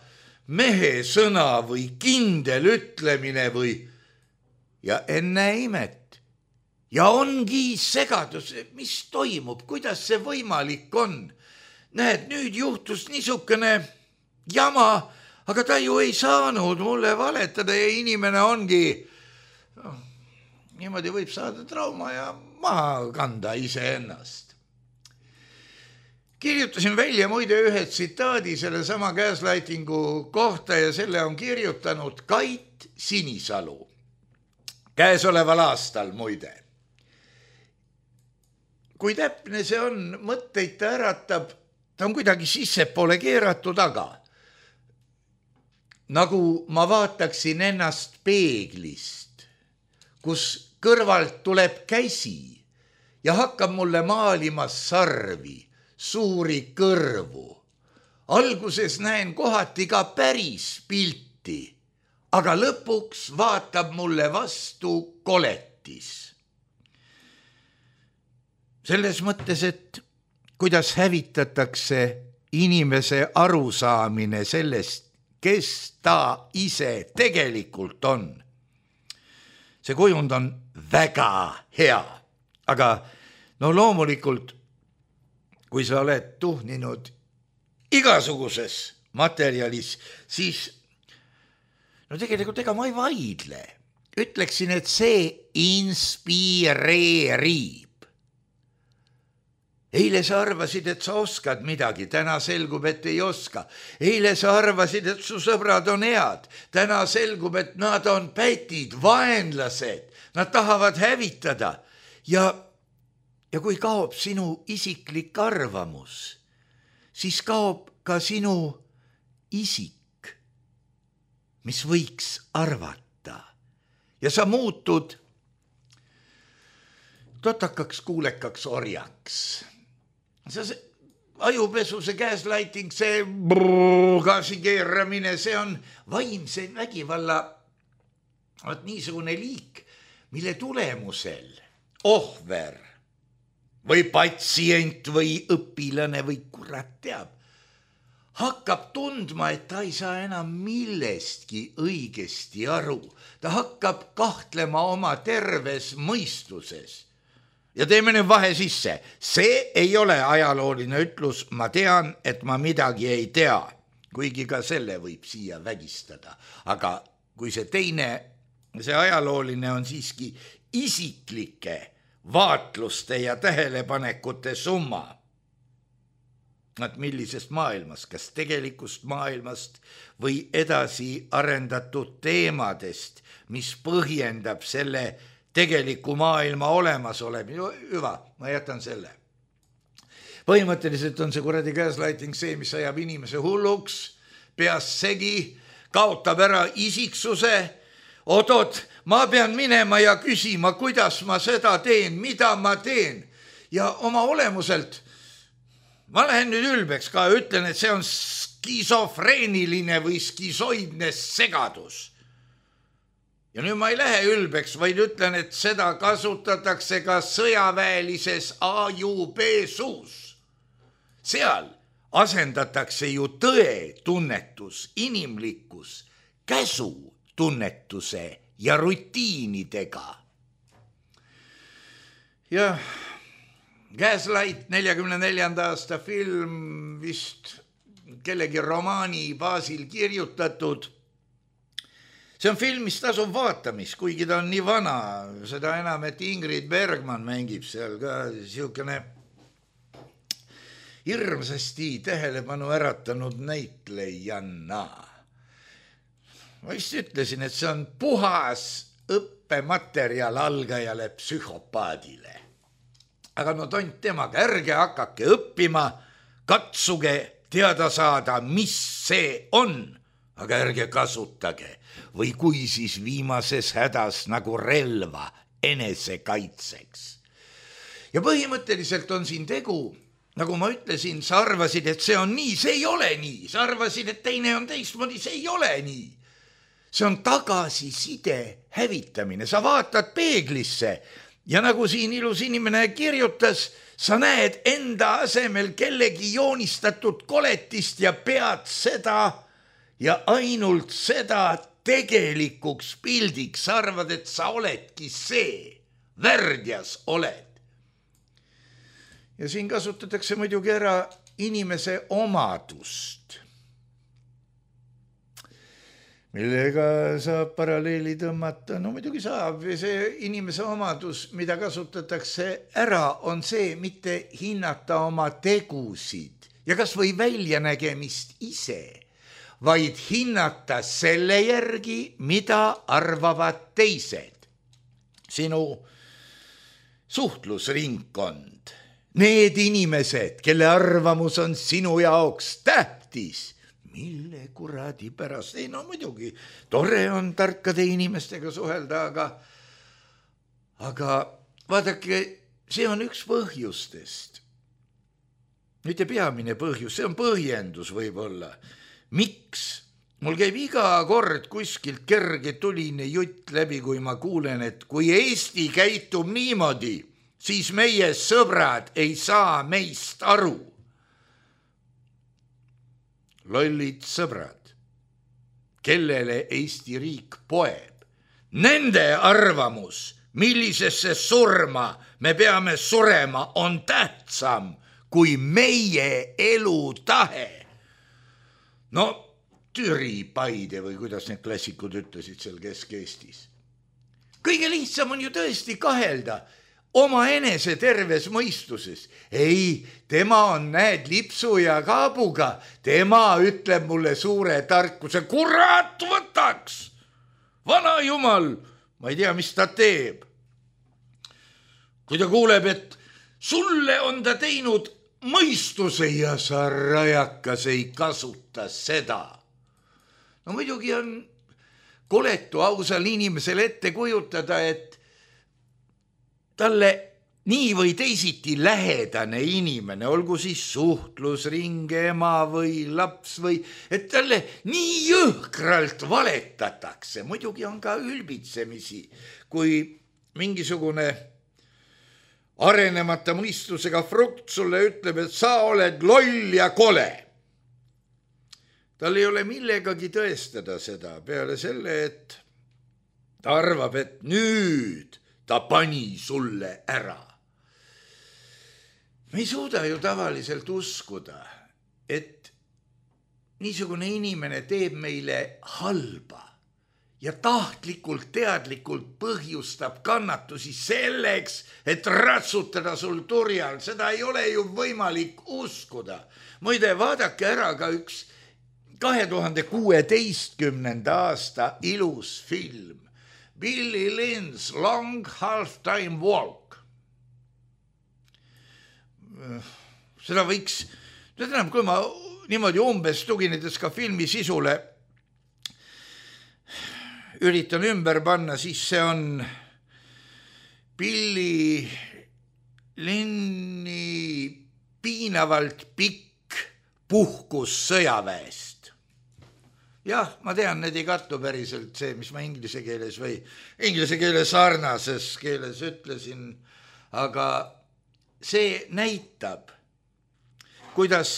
mehe sõna või kindel ütlemine või ja enne imet. Ja ongi segadus, mis toimub, kuidas see võimalik on. Näed, nüüd juhtus niisugune jama, aga ta ju ei saanud mulle valetada ja inimene ongi, no, niimoodi võib saada trauma ja maha kanda iseennast. Kirjutasin välja muide ühe tsitaadi selle sama gaslightingu kohta ja selle on kirjutanud Kait Sinisalu. Käesoleval aastal muide. Kui täpne see on, mõtteid ta äratab, ta on kuidagi sissepoole keeratud, aga nagu ma vaataksin ennast peeglist, kus kõrvalt tuleb käsi ja hakkab mulle maalima sarvi, suuri kõrvu. Alguses näen kohati ka päris pilti, aga lõpuks vaatab mulle vastu koletis. Selles mõttes, et kuidas hävitatakse inimese arusaamine sellest, kes ta ise tegelikult on. See kujund on väga hea, aga no loomulikult, kui sa oled tuhninud igasuguses materjalis, siis no tegelikult ega ma ei vaidle. Ütleksin, et see inspireerib. Eile sa arvasid, et sa oskad midagi, täna selgub, et ei oska. Eile sa arvasid, et su sõbrad on head, täna selgub, et nad on pätid, vaenlased, nad tahavad hävitada. Ja, ja kui kaob sinu isiklik arvamus, siis kaob ka sinu isik, mis võiks arvata. Ja sa muutud totakaks, kuulekaks orjaks. See, see ajupesu, see gaslighting, see gaasi keeramine, see on vaimse vägivalla niisugune liik, mille tulemusel ohver või patsient või õpilane või kurat teab, hakkab tundma, et ta ei saa enam millestki õigesti aru. Ta hakkab kahtlema oma terves mõistuses. Ja teeme nüüd vahe sisse. See ei ole ajalooline ütlus, ma tean, et ma midagi ei tea, kuigi ka selle võib siia vägistada. Aga kui see teine, see ajalooline on siiski isiklike vaatluste ja tähelepanekute summa. Et millisest maailmast, kas tegelikust maailmast või edasi arendatud teemadest, mis põhjendab selle tegeliku maailma olemas oleb. Hüva, ma jätan selle. Põhimõtteliselt on see kuradi gaslighting see, mis ajab inimese hulluks, peas segi, kaotab ära isiksuse. Oot-oot, ma pean minema ja küsima, kuidas ma seda teen, mida ma teen. Ja oma olemuselt, ma lähen nüüd ülbeks ka, ütlen, et see on skisofreeniline või skisoidne segadus. Ja nüüd ma ei lähe ülbeks, vaid ütlen, et seda kasutatakse ka sõjaväelises ajupesus. Seal asendatakse ju tõe tunnetus, inimlikkus, käsu tunnetuse ja rutiinidega. Ja Gaslight neljakümne neljanda aasta film vist kellegi romaani baasil kirjutatud. See on film, mis tasub vaatamist, kuigi ta on nii vana, seda enam, et Ingrid Bergman mängib seal ka siukene hirmsasti tähelepanu äratanud näitlejanna. Ma vist ütlesin, et see on puhas õppematerjal algajale psühhopaadile. Aga no tont temaga, ärge hakake õppima, katsuge teada saada, mis see on, aga ärge kasutage või kui siis viimases hädas nagu relva enesekaitseks. Ja põhimõtteliselt on siin tegu, nagu ma ütlesin, sa arvasid, et see on nii, see ei ole nii, sa arvasid, et teine on teistmoodi, see ei ole nii. See on tagasiside hävitamine, sa vaatad peeglisse ja nagu siin ilus inimene kirjutas, sa näed enda asemel kellegi joonistatud koletist ja pead seda ja ainult seda tegelikuks pildiks, sa arvad, et sa oledki see, värdjas oled. Ja siin kasutatakse muidugi ära inimese omadust, millega saab paralleeli tõmmata. No muidugi saab, see inimese omadus, mida kasutatakse ära, on see mitte hinnata oma tegusid ja kas või väljanägemist ise, vaid hinnata selle järgi, mida arvavad teised. Sinu suhtlusringkond, need inimesed, kelle arvamus on sinu jaoks tähtis, mille kuradi pärast, ei no muidugi, tore on tarkade inimestega suhelda, aga, aga vaadake, see on üks põhjustest. Mitte peamine põhjus, see on põhjendus võib-olla. Miks? Mul käib iga kord kuskilt kerge tuline jutt läbi, kui ma kuulen, et kui Eesti käitub niimoodi, siis meie sõbrad ei saa meist aru. Lollid sõbrad, kellele Eesti riik poeb. Nende arvamus, millisesse surma me peame surema, on tähtsam kui meie elutahe. No, Türi, Paide või kuidas need klassikud ütlesid seal Kesk-Eestis. Kõige lihtsam on ju tõesti kahelda oma enese terves mõistuses. Ei, tema on, näed, lipsu ja kaabuga. Tema ütleb mulle suure tarkuse, kurat võtaks. Vana jumal, ma ei tea, mis ta teeb. Kui ta kuuleb, et sulle on ta teinud mõistuse ja sa rajakas ei kasuta seda. No muidugi on koletu ausal inimesel ette kujutada, et talle nii või teisiti lähedane inimene, olgu siis suhtlusring, ema või laps või, et talle nii jõhkralt valetatakse. Muidugi on ka ülbitsemisi, kui mingisugune arenemata mõistusega frukt sulle ütleb, et sa oled loll ja kole. Tal ei ole millegagi tõestada seda peale selle, et ta arvab, et nüüd ta pani sulle ära. Me ei suuda ju tavaliselt uskuda, et niisugune inimene teeb meile halba ja tahtlikult, teadlikult põhjustab kannatusi selleks, et ratsutada sul turjal. Seda ei ole ju võimalik uskuda. Muide, vaadake ära ka üks kahe tuhande kuueteistkümnenda aasta ilus film. Billy Lynn's Long Half-Time Walk. Seda võiks, tähendab, kui ma niimoodi umbes tuginedes ka filmi sisule üritan ümber panna, siis see on Billy Lynni piinavalt pikk puhkus sõjaväest. Jah, ma tean, need ei kattu päriselt see, mis ma inglise keeles või inglise keeles sarnases keeles ütlesin, aga see näitab, kuidas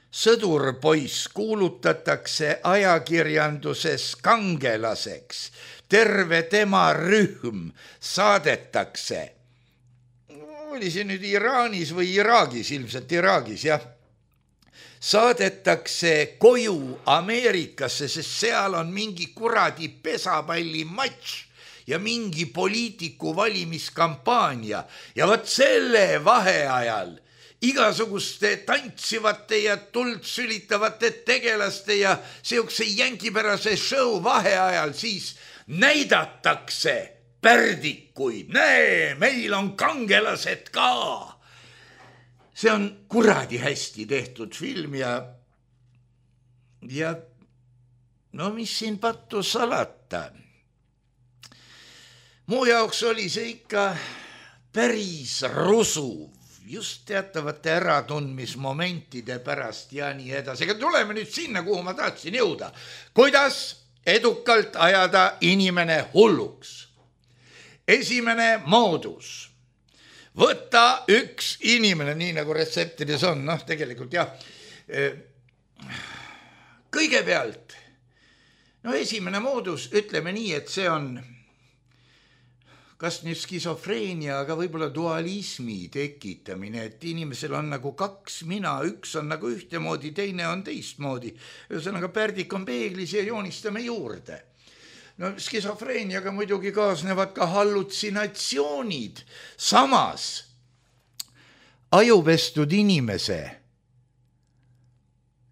sõdurpoiss kuulutatakse ajakirjanduses kangelaseks, terve tema rühm saadetakse. Oli see nüüd Iraanis või Iraagis, ilmselt Iraagis, jah. Saadetakse koju Ameerikasse, sest seal on mingi kuradi pesapalli matš ja mingi poliitiku valimiskampaania. Ja võt selle vaheajal igasuguste tantsivate ja tuld sülitavate tegelaste ja seukse jänkipärase show vaheajal siis näidatakse pärdikuid. Näe, meil on kangelased ka. See on kuradi hästi tehtud film ja ja no mis siin pattu salata. Mu jaoks oli see ikka päris rusuv, just teatavate äratundmismomentide pärast ja nii edasi. Aga tuleme nüüd sinna, kuhu ma tahtsin jõuda. Kuidas edukalt ajada inimene hulluks? Esimene moodus. Võta üks inimene, nii nagu retseptides on, noh tegelikult jah, kõigepealt, no esimene moodus, ütleme nii, et see on kas nüüd skisofreenia, aga võib-olla dualismi tekitamine, et inimesel on nagu kaks mina, üks on nagu ühtemoodi, teine on teistmoodi. Ühesõnaga pärdik on peeglis ja joonistame juurde. No skisofreeniaga muidugi kaasnevad ka hallutsinatsioonid. Samas ajupestud inimese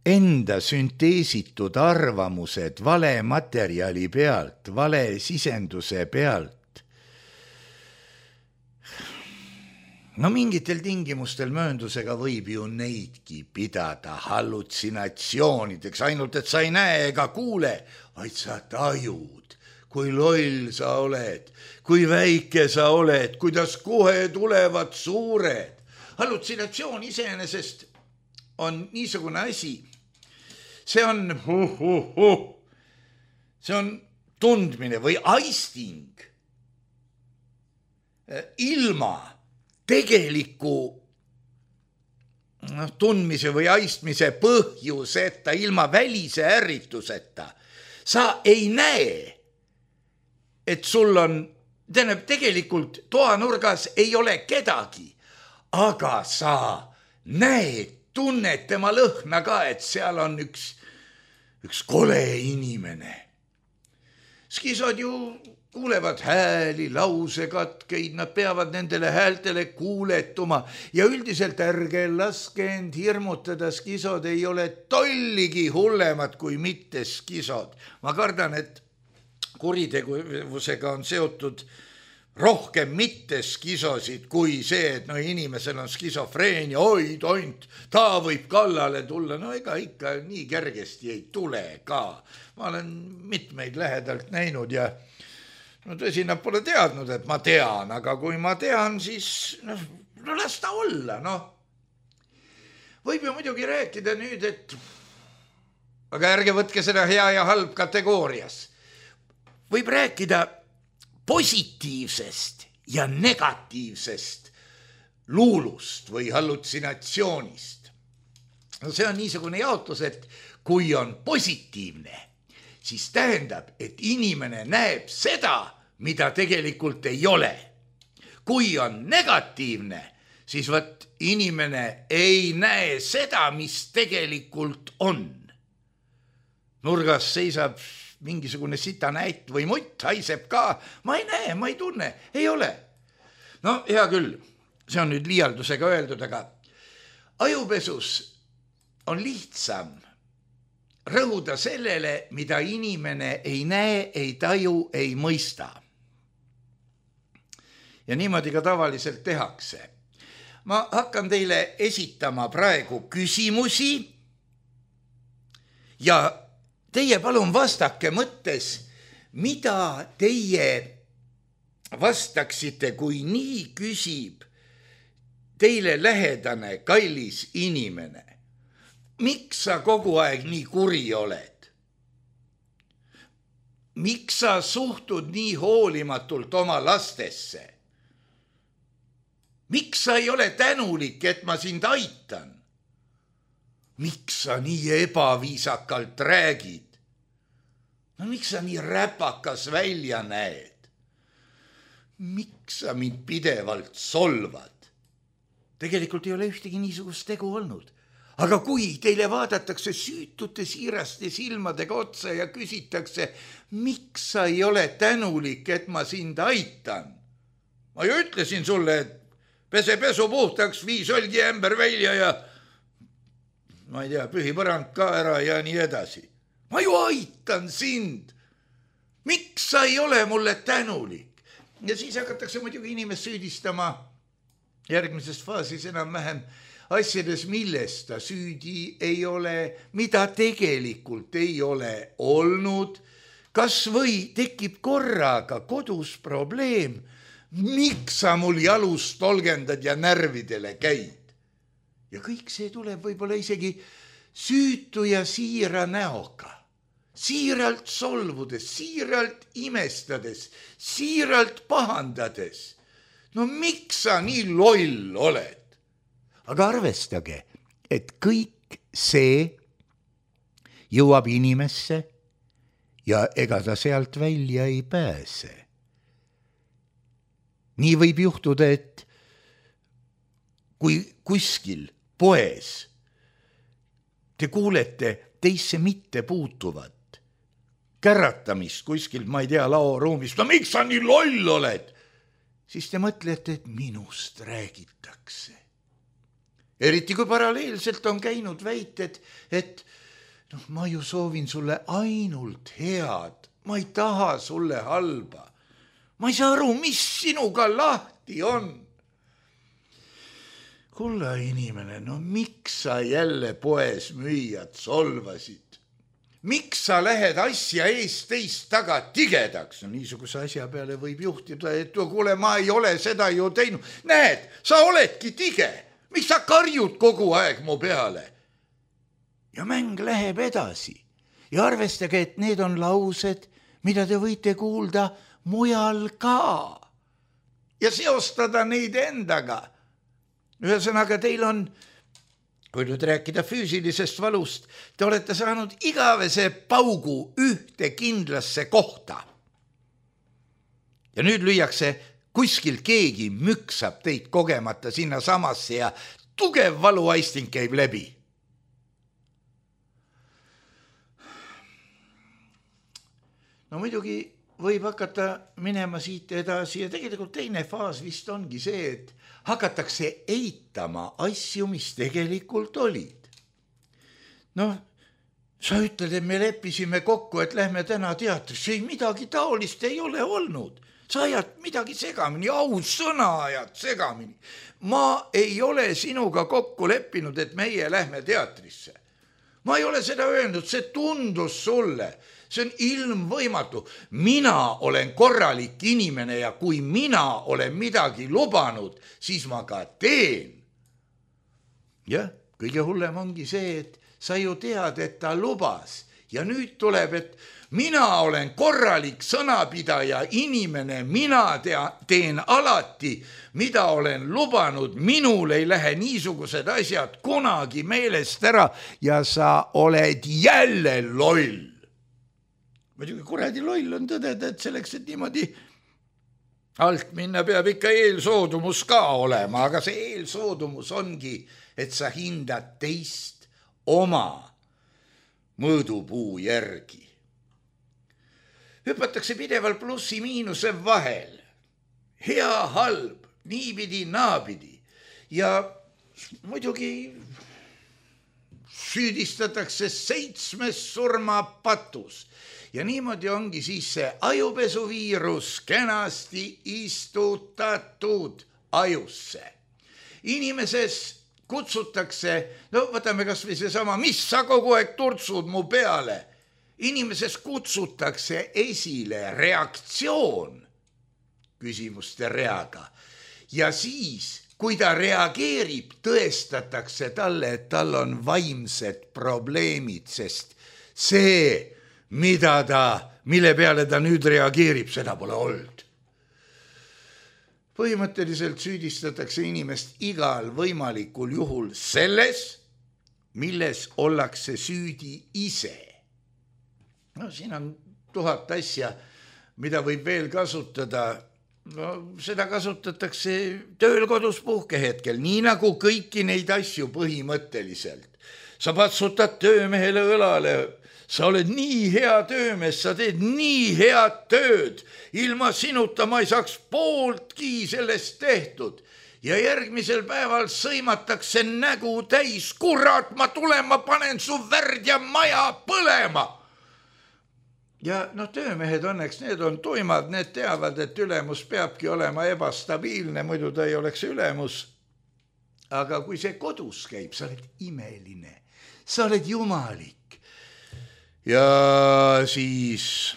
enda sünteesitud arvamused vale materjali pealt, vale sisenduse pealt, no mingitel tingimustel mööndusega võib ju neidki pidada hallutsinatsioonideks, ainult et sa ei näe ega kuule, vaid sa tajud, kui loll sa oled, kui väike sa oled, kuidas kohe tulevad suured. Hallutsinatsioon iseenesest on niisugune asi, see on, huh, huh, huh. see on tundmine või aisting ilma tegeliku no, tundmise või aistmise põhjuseta, ilma välise ärrituseta. Sa ei näe, et sul on, tähendab, tegelikult toanurgas ei ole kedagi, aga sa näed, tunned tema lõhna ka, et seal on üks, üks kole inimene. Skisod ju kuulevad hääli, lausekatkeid, nad peavad nendele häältele kuuletuma ja üldiselt ärge laske end hirmutada, skisod ei ole tolligi hullemad kui mitte skisod. Ma kardan, et kuritegevusega on seotud rohkem mitte skisosid kui see, et no inimesel on skisofreenia, oi tont, ta võib kallale tulla, no ega ikka nii kergesti ei tule ka. Ma olen mitmeid lähedalt näinud ja no tõsi, nad pole teadnud, et ma tean, aga kui ma tean, siis no, no las ta olla, noh. Võib ju muidugi rääkida nüüd, et aga ärge võtke seda hea ja halb kategoorias. Võib rääkida positiivsest ja negatiivsest luulust või hallutsinatsioonist. No see on niisugune jaotus, et kui on positiivne, siis tähendab, et inimene näeb seda, mida tegelikult ei ole. Kui on negatiivne, siis võt inimene ei näe seda, mis tegelikult on. Nurgas seisab mingisugune sitanäit või mutt, haiseb ka. Ma ei näe, ma ei tunne, ei ole. No hea küll, see on nüüd liialdusega öeldud, aga ajupesus on lihtsam rõhuda sellele, mida inimene ei näe, ei taju, ei mõista. Ja niimoodi ka tavaliselt tehakse. Ma hakkan teile esitama praegu küsimusi ja teie palun vastake mõttes, mida teie vastaksite, kui nii küsib teile lähedane kallis inimene. Miks sa kogu aeg nii kuri oled? Miks sa suhtud nii hoolimatult oma lastesse? Miks sa ei ole tänulik, et ma sind aitan? Miks sa nii ebaviisakalt räägid? No miks sa nii räpakas välja näed? Miks sa mind pidevalt solvad? Tegelikult ei ole ühtegi niisugust tegu olnud. Aga kui teile vaadatakse süütute siiraste silmadega otsa ja küsitakse, miks sa ei ole tänulik, et ma sind aitan? Ma ju ütlesin sulle, et pese pesu puhtaks, vii solgi ämber välja ja ma ei tea, pühi põrand ka ära ja nii edasi. Ma ju aitan sind. Miks sa ei ole mulle tänulik? Ja siis hakatakse muidugi inimest süüdistama järgmises faasis enam-vähem asjades, millest ta süüdi ei ole, mida tegelikult ei ole olnud. Kas või tekib korraga kodus probleem, miks sa mul jalust tolgendad ja närvidele käid? Ja kõik see tuleb võib-olla isegi süütu ja siira näoga. Siiralt solvudes, siiralt imestades, siiralt pahandades. No miks sa nii loll oled? Aga arvestage, et kõik see jõuab inimesse ja ega ta sealt välja ei pääse. Nii võib juhtuda, et kui kuskil poes te kuulete teisse mitte puutuvat käratamist kuskil, ma ei tea, laoruumist, no miks sa nii loll oled? Siis te mõtlete, et minust räägitakse. Eriti kui paralleelselt on käinud väited, et noh, ma ju soovin sulle ainult head, ma ei taha sulle halba. Ma ei saa aru, mis sinuga lahti on. Kulla inimene, no miks sa jälle poes müüjad solvasid? Miks sa lähed asja eest teist taga tigedaks? No niisuguse asja peale võib juhtida, et kuule, ma ei ole seda ju teinud. Näed, sa oledki tige. Miks sa karjud kogu aeg mu peale? Ja mäng läheb edasi. Ja arvestage, et need on laused, mida te võite kuulda mujal ka. Ja seostada neid endaga. Ühesõnaga, teil on, kui nüüd rääkida füüsilisest valust, te olete saanud igavese paugu ühte kindlasse kohta. Ja nüüd lüüakse kuskil keegi müksab teid kogemata sinna samasse ja tugev valuaisting käib läbi. No muidugi võib hakata minema siit edasi ja tegelikult teine faas vist ongi see, et hakatakse eitama asju, mis tegelikult olid. Noh, sa ütled, et me leppisime kokku, et lähme täna teatrisse. Ei, midagi taolist ei ole olnud. Sa ajad midagi segamini, aus sõna ajad segamini. Ma ei ole sinuga kokku leppinud, et meie lähme teatrisse. Ma ei ole seda öelnud, see tundus sulle. See on ilmvõimatu. Mina olen korralik inimene ja kui mina olen midagi lubanud, siis ma ka teen. Jah, kõige hullem ongi see, et sa ju tead, et ta lubas. Ja nüüd tuleb, et mina olen korralik sõnapidaja inimene, mina tea, teen alati, mida olen lubanud, minul ei lähe niisugused asjad kunagi meelest ära ja sa oled jälle loll. Muidugi kuradi loll on tõdeda, et selleks, et niimoodi alt minna peab ikka eelsoodumus ka olema, aga see eelsoodumus ongi, et sa hindad teist oma mõõdupuu järgi. Hüpatakse pidevalt plussi miinuse vahel. Hea, halb, niipidi, naapidi. Ja muidugi süüdistatakse seitsmes surmapatus. Ja niimoodi ongi siis see ajupesuviirus kenasti istutatud ajusse. Inimeses kutsutakse, no võtame kas või see sama, mis sa kogu aeg turtsud mu peale. Inimeses kutsutakse esile reaktsioon küsimuste reaga. Ja siis, kui ta reageerib, tõestatakse talle, et tal on vaimsed probleemid, sest see mida ta, mille peale ta nüüd reageerib, seda pole olnud. Põhimõtteliselt süüdistatakse inimest igal võimalikul juhul selles, milles ollakse süüdi ise. No siin on tuhat asja, mida võib veel kasutada. No seda kasutatakse tööl, kodus, puhkehetkel, nii nagu kõiki neid asju põhimõtteliselt. sa patsutad töömehele õlale, sa oled nii hea töömees, sa teed nii head tööd, ilma sinuta ma ei saaks pooltki sellest tehtud. Ja järgmisel päeval sõimatakse nägu täis, kurat, ma tulen, ma panen su värd ja maja põlema. Ja noh, töömehed õnneks, need on tuimad, need teavad, et ülemus peabki olema ebastabiilne, muidu ta ei oleks ülemus. Aga kui see kodus käib, sa oled imeline, sa oled jumalik. Ja siis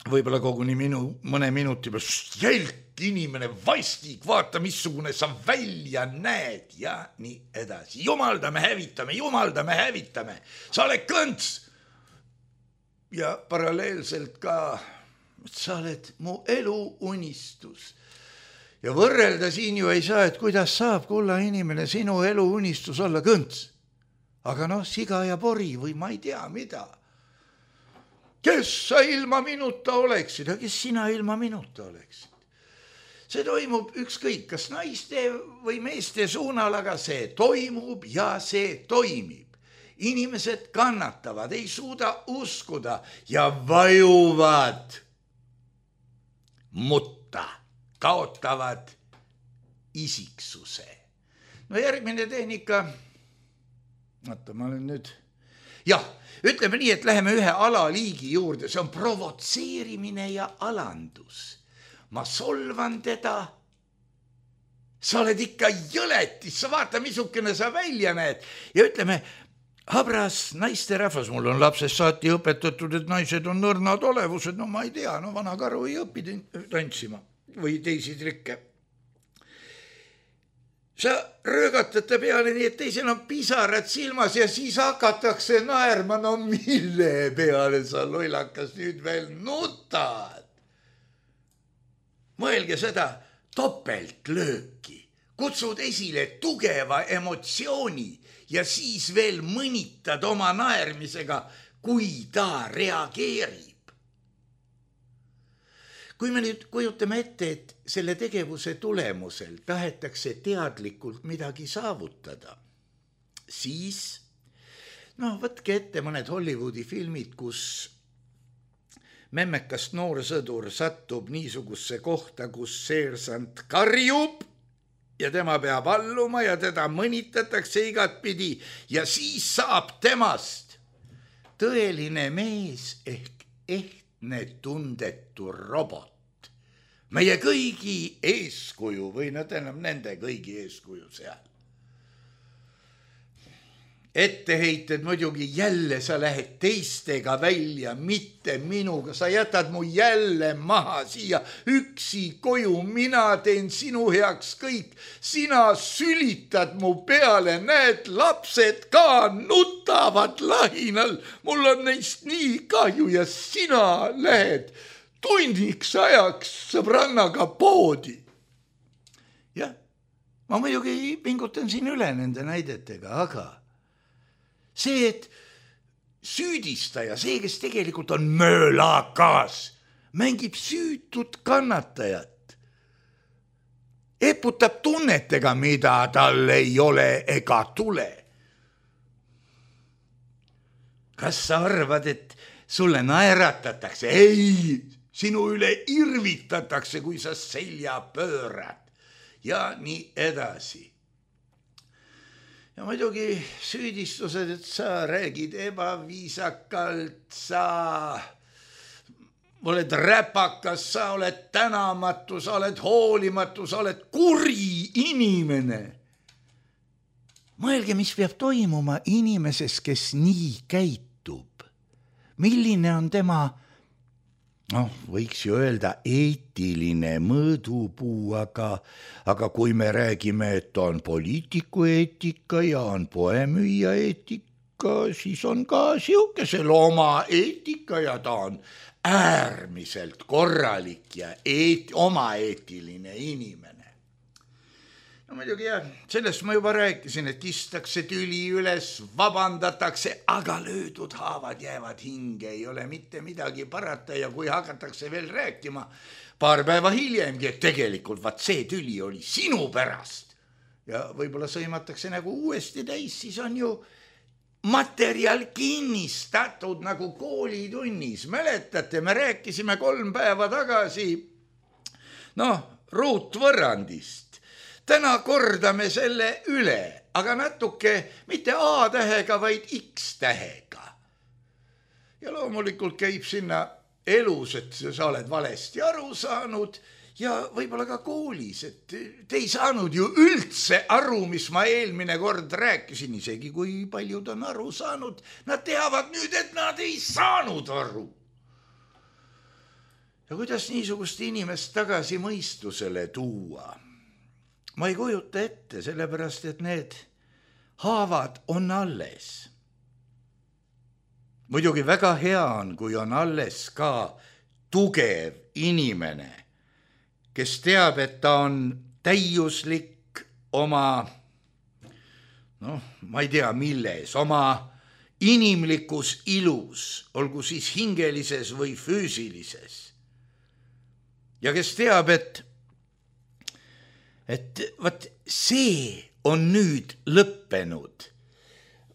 võib-olla koguni minu, mõne minuti peal jälk inimene, vastik, vaata, missugune sa välja näed ja nii edasi. Jumaldame, hävitame, jumaldame, hävitame. Sa oled kõnts. Ja paralleelselt ka, sa oled mu elu unistus. Ja võrrelda siin ju ei saa, et kuidas saab kulla inimene sinu elu unistus olla kõnts. Aga noh, siga ja pori või ma ei tea mida. Kes sa ilma minuta oleksid, aga kes sina ilma minuta oleksid? See toimub ükskõik, kas naiste või meeste suunal, aga see toimub ja see toimib. Inimesed kannatavad, ei suuda uskuda ja vajuvad mutta, kaotavad isiksuse. No järgmine tehnika, vaata, ma olen nüüd... Jah, ütleme nii, et läheme ühe alaliigi juurde, see on provotseerimine ja alandus. Ma solvan teda, sa oled ikka jõletis, sa vaata, missugune sa välja näed. Ja ütleme, habras naisterahvas, mul on lapsest saati õpetatud, et naised on nõrnad olevused, no ma ei tea, no vana karu ei õpi tantsima või teisi trikke. Sa röögatad ta peale nii, et teisel on pisarad silmas ja siis hakatakse naerma, no mille peale sa loilakas nüüd veel nutad. Mõelge seda topeltlööki, kutsud esile tugeva emotsiooni ja siis veel mõnitad oma naermisega, kui ta reageerib. Kui me nüüd kujutame ette, et selle tegevuse tulemusel tahetakse teadlikult midagi saavutada, siis, noh, võtke ette mõned Hollywoodi filmid, kus memmekast noor sõdur satub niisugusse kohta, kus seersant karjub ja tema peab alluma ja teda mõnitatakse igat pidi ja siis saab temast tõeline mees ehk ehtne tundetu robot. Meie kõigi eeskuju või no tähendab nende kõigi eeskuju seal. Etteheited muidugi jälle sa lähed teistega välja, mitte minuga. Sa jätad mu jälle maha siia üksi koju, mina teen sinu heaks kõik. Sina sülitad mu peale, näed, lapsed ka nutavad lahinal. Mul on neist nii kahju ja sina lähed tunniks ajaks sõbrannaga poodi. Jah, ma muidugi pingutan siin üle nende näidetega, aga see, et süüdistaja, see, kes tegelikult on möölakas, mängib süütut kannatajat. Eputab tunnetega, mida tal ei ole ega tule. Kas sa arvad, et sulle naeratatakse? Ei, sinu üle irvitatakse, kui sa selja pöörad ja nii edasi. Ja muidugi süüdistused, et sa räägid ebaviisakalt, sa oled räpakas, sa oled tänamatu, sa oled hoolimatu, sa oled kuri inimene. Mõelge, mis peab toimuma inimeses, kes nii käitub. Milline on tema, noh, võiks ju öelda eetiline mõõdupuu, aga, aga kui me räägime, et on poliitiku eetika ja on poemüüja eetika, siis on ka siukesel oma eetika ja ta on äärmiselt korralik ja eet, oma eetiline inimene. No muidugi jah, sellest ma juba rääkisin, et kistakse tüli üles, vabandatakse, aga löödud haavad jäävad hinge, ei ole mitte midagi parata ja kui hakatakse veel rääkima paar päeva hiljemgi, et tegelikult vaat see tüli oli sinu pärast ja võib-olla sõimatakse nagu uuesti täis, siis on ju materjal kinnistatud nagu koolitunnis. Mäletate, me rääkisime kolm päeva tagasi noh, ruutvõrrandist. Täna kordame selle üle, aga natuke mitte A-tähega, vaid X-tähega. Ja loomulikult käib sinna elus, et sa oled valesti aru saanud ja võib-olla ka koolis, et te ei saanud ju üldse aru, mis ma eelmine kord rääkisin, isegi kui paljud on aru saanud. Nad teavad nüüd, et nad ei saanud aru. Ja kuidas niisugust inimest tagasi mõistusele tuua? Ma ei kujuta ette, sellepärast, et need haavad on alles. Muidugi väga hea on, kui on alles ka tugev inimene, kes teab, et ta on täiuslik oma, noh, ma ei tea milles, oma inimlikus ilus, olgu siis hingelises või füüsilises. Ja kes teab, et, et vaat see on nüüd lõppenud.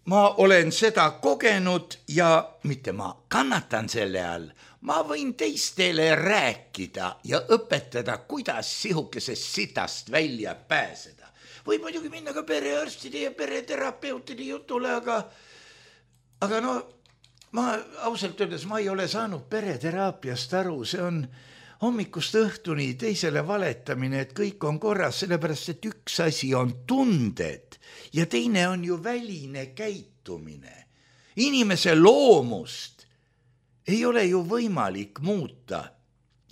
Ma olen seda kogenud ja mitte ma kannatan selle all, ma võin teistele rääkida ja õpetada, kuidas sihukesest sitast välja pääseda. Võib muidugi minna ka perearstide ja pereterapeutide jutule, aga, aga no, ma ausalt öeldes ma ei ole saanud pereteraapiast aru, see on hommikust õhtuni teisele valetamine, et kõik on korras, sellepärast, et üks asi on tunded ja teine on ju väline käitumine. Inimese loomust ei ole ju võimalik muuta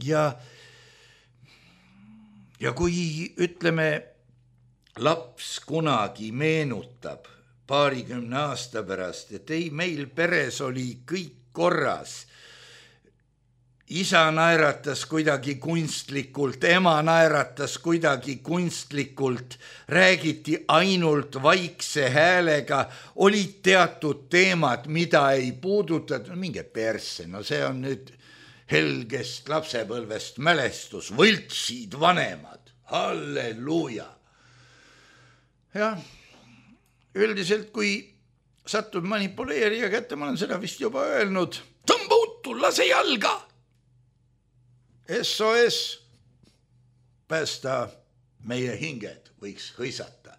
ja, ja kui ütleme, laps kunagi meenutab paarikümne aasta pärast, et ei, meil peres oli kõik korras, isa naeratas kuidagi kunstlikult, ema naeratas kuidagi kunstlikult, räägiti ainult vaikse häälega, olid teatud teemad, mida ei puudutatud, minge persse, no see on nüüd helgest lapsepõlvest mälestus, võltsid vanemad, halleluuja. Jah, üldiselt kui satud manipuleerija kätte, ma olen seda vist juba öelnud, tõmba uttu, lase jalga! S O S, päästa meie hinged, võiks hõisata.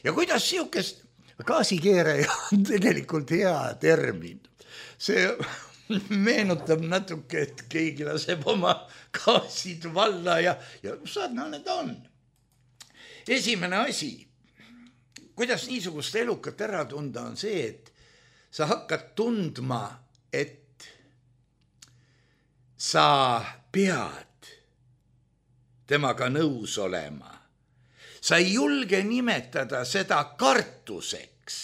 Ja kuidas sihukest gaasikeeraja on tegelikult hea termin. See meenutab natuke, et keegi laseb oma gaasid valla ja, ja sarnane ta on. Esimene asi, kuidas niisugust elukat ära tunda, on see, et sa hakkad tundma, et sa pead temaga nõus olema. Sa ei julge nimetada seda kartuseks,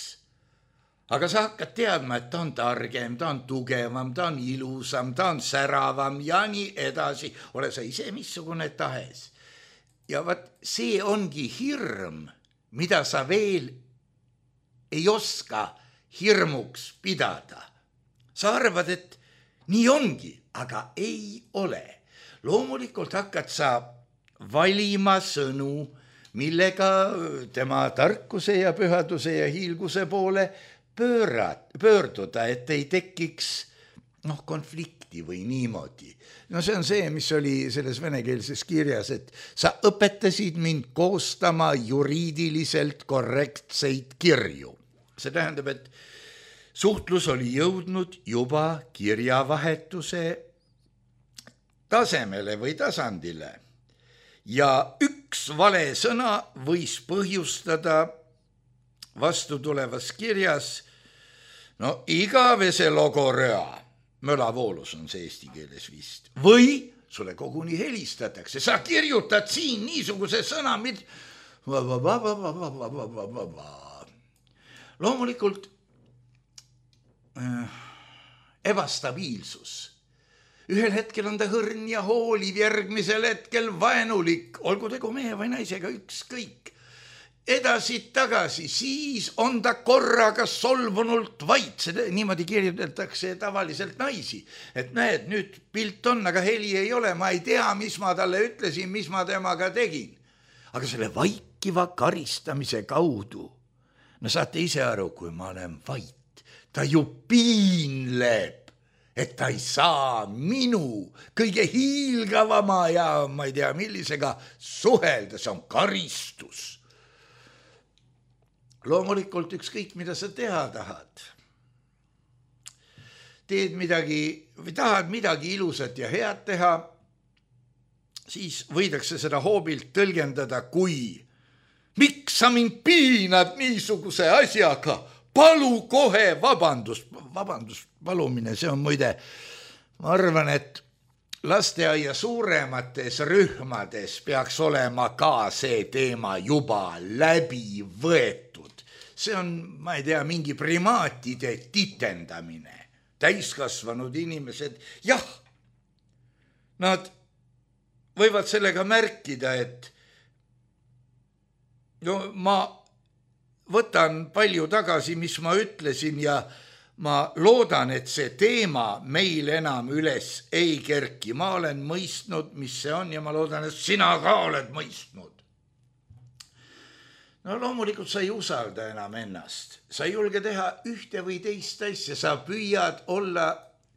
aga sa hakkad teadma, et ta on targem, ta on tugevam, ta on ilusam, ta on säravam ja nii edasi. Ole sa ise missugune tahes. Ja vaat see ongi hirm, mida sa veel ei oska hirmuks pidada. Sa arvad, et nii ongi, aga ei ole. Loomulikult hakkad sa valima sõnu, millega tema tarkuse ja pühaduse ja hiilguse poole pöörad, pöörduda, et ei tekiks noh, konflikti või niimoodi. No see on see, mis oli selles venekeelses kirjas, et sa õpetasid mind koostama juriidiliselt korrektseid kirju. See tähendab, et suhtlus oli jõudnud juba kirjavahetuse tasemele või tasandile ja üks vale sõna võis põhjustada vastutulevas kirjas no igavese logoröa, mölavoolus on see eesti keeles vist, või sulle koguni helistatakse, sa kirjutad siin niisuguse sõna, mid... loomulikult äh, ebastabiilsus. Ühel hetkel on ta hõrn ja hooliv, järgmisel hetkel vaenulik, olgu tegu mehe või naisega, ükskõik. Edasi tagasi, siis on ta korraga solvunult vait, seda niimoodi kirjutatakse tavaliselt naisi. Et näed, nüüd pilt on, aga heli ei ole, ma ei tea, mis ma talle ütlesin, mis ma temaga tegin. Aga selle vaikiva karistamise kaudu, no saate ise aru, kui ma olen vait, ta ju piinleb, et ta ei saa minu kõige hiilgavama ja ma ei tea millisega suhelda, see on karistus. Loomulikult ükskõik, mida sa teha tahad. Teed midagi või tahad midagi ilusat ja head teha, siis võidakse seda hoobilt tõlgendada kui miks sa mind piinad niisuguse asjaga, palu kohe vabandust. Vabandust palumine, see on muide, ma arvan, et lasteaia suuremates rühmades peaks olema ka see teema juba läbi võetud. See on, ma ei tea, mingi primaatide titendamine. Täiskasvanud inimesed, jah, nad võivad sellega märkida, et no ma võtan palju tagasi, mis ma ütlesin ja ma loodan, et see teema meil enam üles ei kerki. Ma olen mõistnud, mis see on ja ma loodan, et sina ka oled mõistnud. No loomulikult sa ei usalda enam ennast. Sa ei julge teha ühte või teist asja, sa püüad olla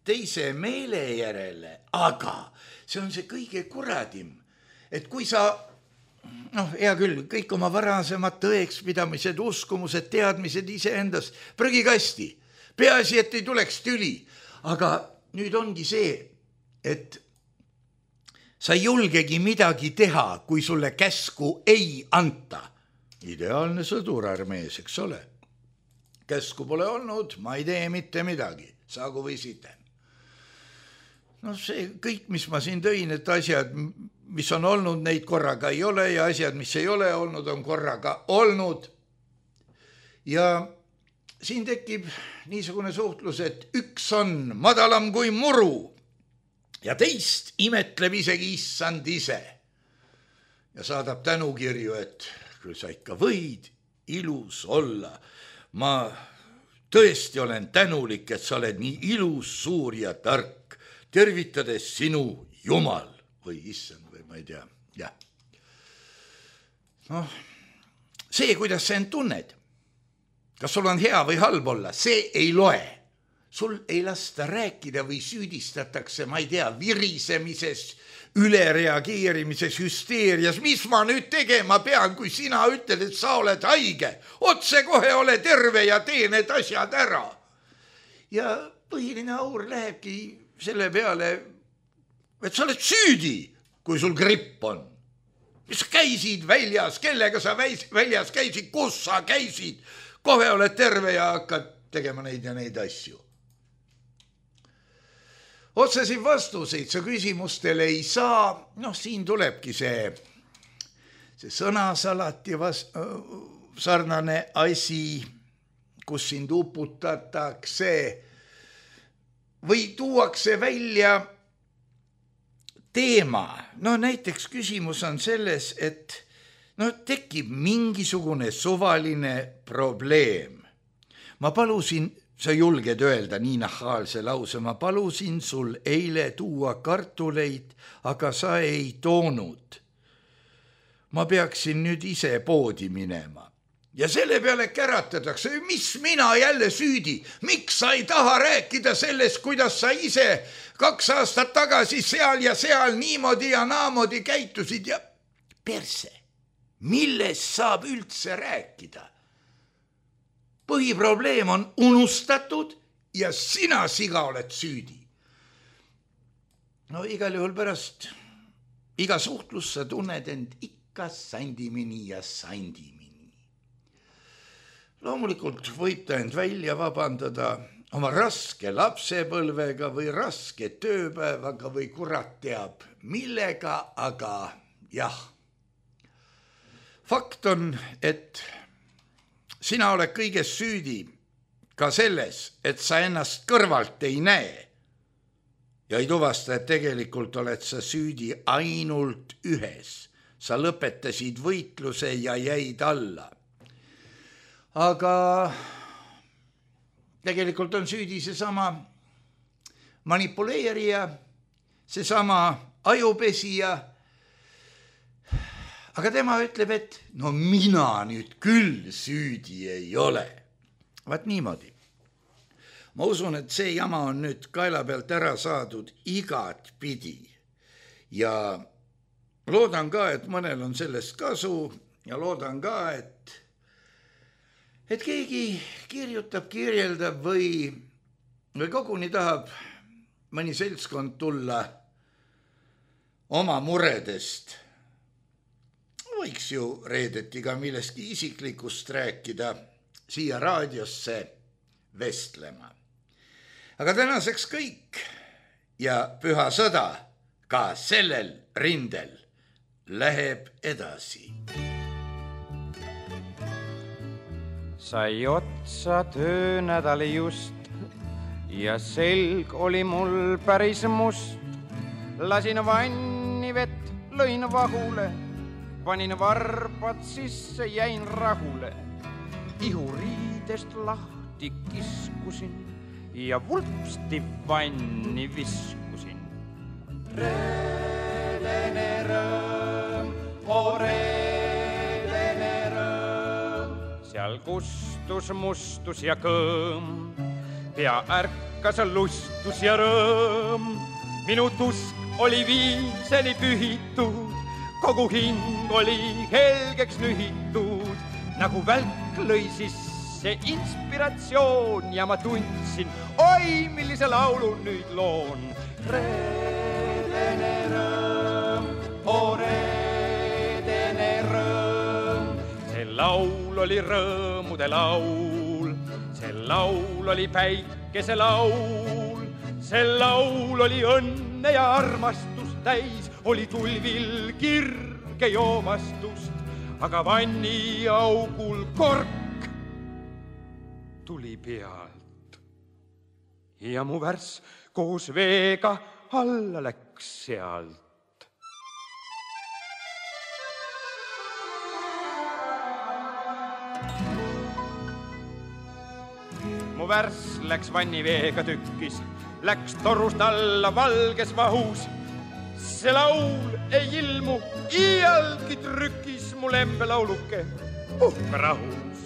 teise meele järele, aga see on see kõige kuradim, et kui sa, noh, hea küll, kõik oma varasemad tõekspidamised, uskumused, teadmised iseendas prügikasti, peaasi, et ei tuleks tüli, aga nüüd ongi see, et sa ei julgegi midagi teha, kui sulle käsku ei anta. Ideaalne sõdur armees, eks ole. Käsku pole olnud, ma ei tee mitte midagi, saagu või siten. No see kõik, mis ma siin tõin, et asjad, mis on olnud, neid korraga ei ole ja asjad, mis ei ole olnud, on korraga olnud. Ja siin tekib niisugune suhtlus, et üks on madalam kui muru ja teist imetleb isegi issand ise. Ja saadab tänukirju, et küll sa ikka võid ilus olla. Ma tõesti olen tänulik, et sa oled nii ilus, suur ja tark. Tervitades sinu Jumal või issand või ma ei tea. Ja. No, see, kuidas sa end tunned, kas sul on hea või halb olla, see ei loe. Sul ei lasta rääkida või süüdistatakse, ma ei tea, virisemises, ülereageerimises, hüsteerias. Mis ma nüüd tegema pean, kui sina ütled, et sa oled haige? Otse kohe ole terve ja tee need asjad ära. Ja põhiline aur lähebki selle peale, et sa oled süüdi, kui sul gripp on. Mis sa käisid väljas, kellega sa väljas käisid, kus sa käisid? Kohe oled terve ja hakkad tegema neid ja neid asju. Otsesid vastuseid sa küsimustele ei saa, noh, siin tulebki see, see sõnasalati vast, sarnane asi, kus sind uputatakse või tuuakse välja teema. No näiteks küsimus on selles, et no, tekib mingisugune suvaline probleem. Ma palusin, sa julged öelda nii nahaalse lause, ma palusin sul eile tuua kartuleid, aga sa ei toonud. Ma peaksin nüüd ise poodi minema. Ja selle peale käratatakse, mis mina jälle süüdi? Miks sa ei taha rääkida sellest, kuidas sa ise kaks aastat tagasi seal ja seal niimoodi ja naamoodi käitusid ja perse? Millest saab üldse rääkida? Põhiprobleem on unustatud ja sina siga oled süüdi. No igal juhul pärast iga suhtlus sa tunned end ikka sandimini ja sandimini. Loomulikult võib ta end välja vabandada oma raske lapsepõlvega või raske tööpäevaga või kurat teab millega, aga jah. Fakt on, et sina oled kõiges süüdi ka selles, et sa ennast kõrvalt ei näe ja ei tuvasta, et tegelikult oled sa süüdi ainult ühes. Sa lõpetasid võitluse ja jäid alla. Aga tegelikult on süüdi seesama manipuleerija, seesama ajupesija. Aga tema ütleb, et no mina nüüd küll süüdi ei ole. Vaat niimoodi. ma usun, et see jama on nüüd kaela pealt ära saadud igat pidi ja loodan ka, et mõnel on sellest kasu ja loodan ka, et et keegi kirjutab, kirjeldab või, või koguni tahab mõni seltskond tulla oma muredest. Võiks ju reedeti ka millestki isiklikust rääkida siia raadiosse vestlema. Aga tänaseks kõik ja püha sõda ka sellel rindel läheb edasi.
Sai otsa töönädali just ja selg oli mul päris must. Lasin vanni vett, lõin vahule, panin varbad sisse, jäin rahule. Ihuriidest lahti kiskusin ja vulpsti vanni viskusin. Reedene rõõm, o reedene rõõm. Seal kustus mustus ja kõõm, pea ärkas lustus ja rõõm. Minu tusk oli viimseni pühitud, kogu hing oli helgeks nühitud. Nagu välk lõi sisse inspiratsioon ja ma tundsin, oi, millise laulu nüüd loon. Reedene rõõm, o reedene rõõm. See laul oli rõõmude laul, see laul oli päikese laul, see laul oli õnne ja armastust täis, oli tulvil kirge joomastust. Aga vanni augul kork tuli pealt ja mu värs koos veega alla läks sealt. Mu värs läks vanni veega tükkis, läks torust alla valges vahus. See laul ei ilmu iialgi trükis mu lembelauluke, puhka rahus.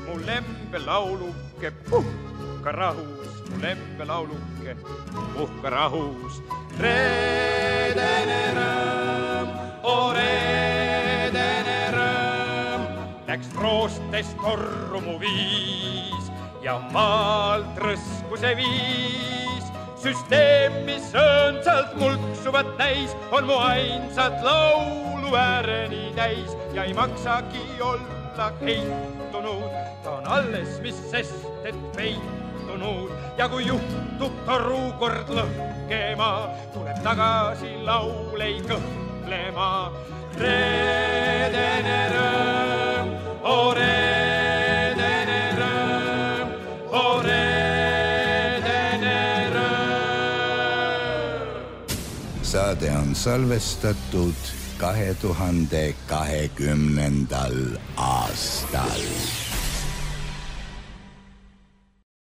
Mu lembelauluke, puhka rahus, mu lembelauluke, puhka rahus. Reedene rõõm, o reedene rõõm. Läks roostest korru mu viis ja maalt rõsku see viis. Süsteem, mis õõnsalt mulksuvat näis, on mu ainsat laulu ääreni täis ja ei maksagi olla heitunud. Ta on alles, mis sest, et peitunud ja kui juhtub toru kord lõhkema, tuleb tagasi laul ei kõhklema. Reedene rõõm, o reedene rõõm, o reedene
saade on salvestatud kahe tuhande kahekümnendal aastal.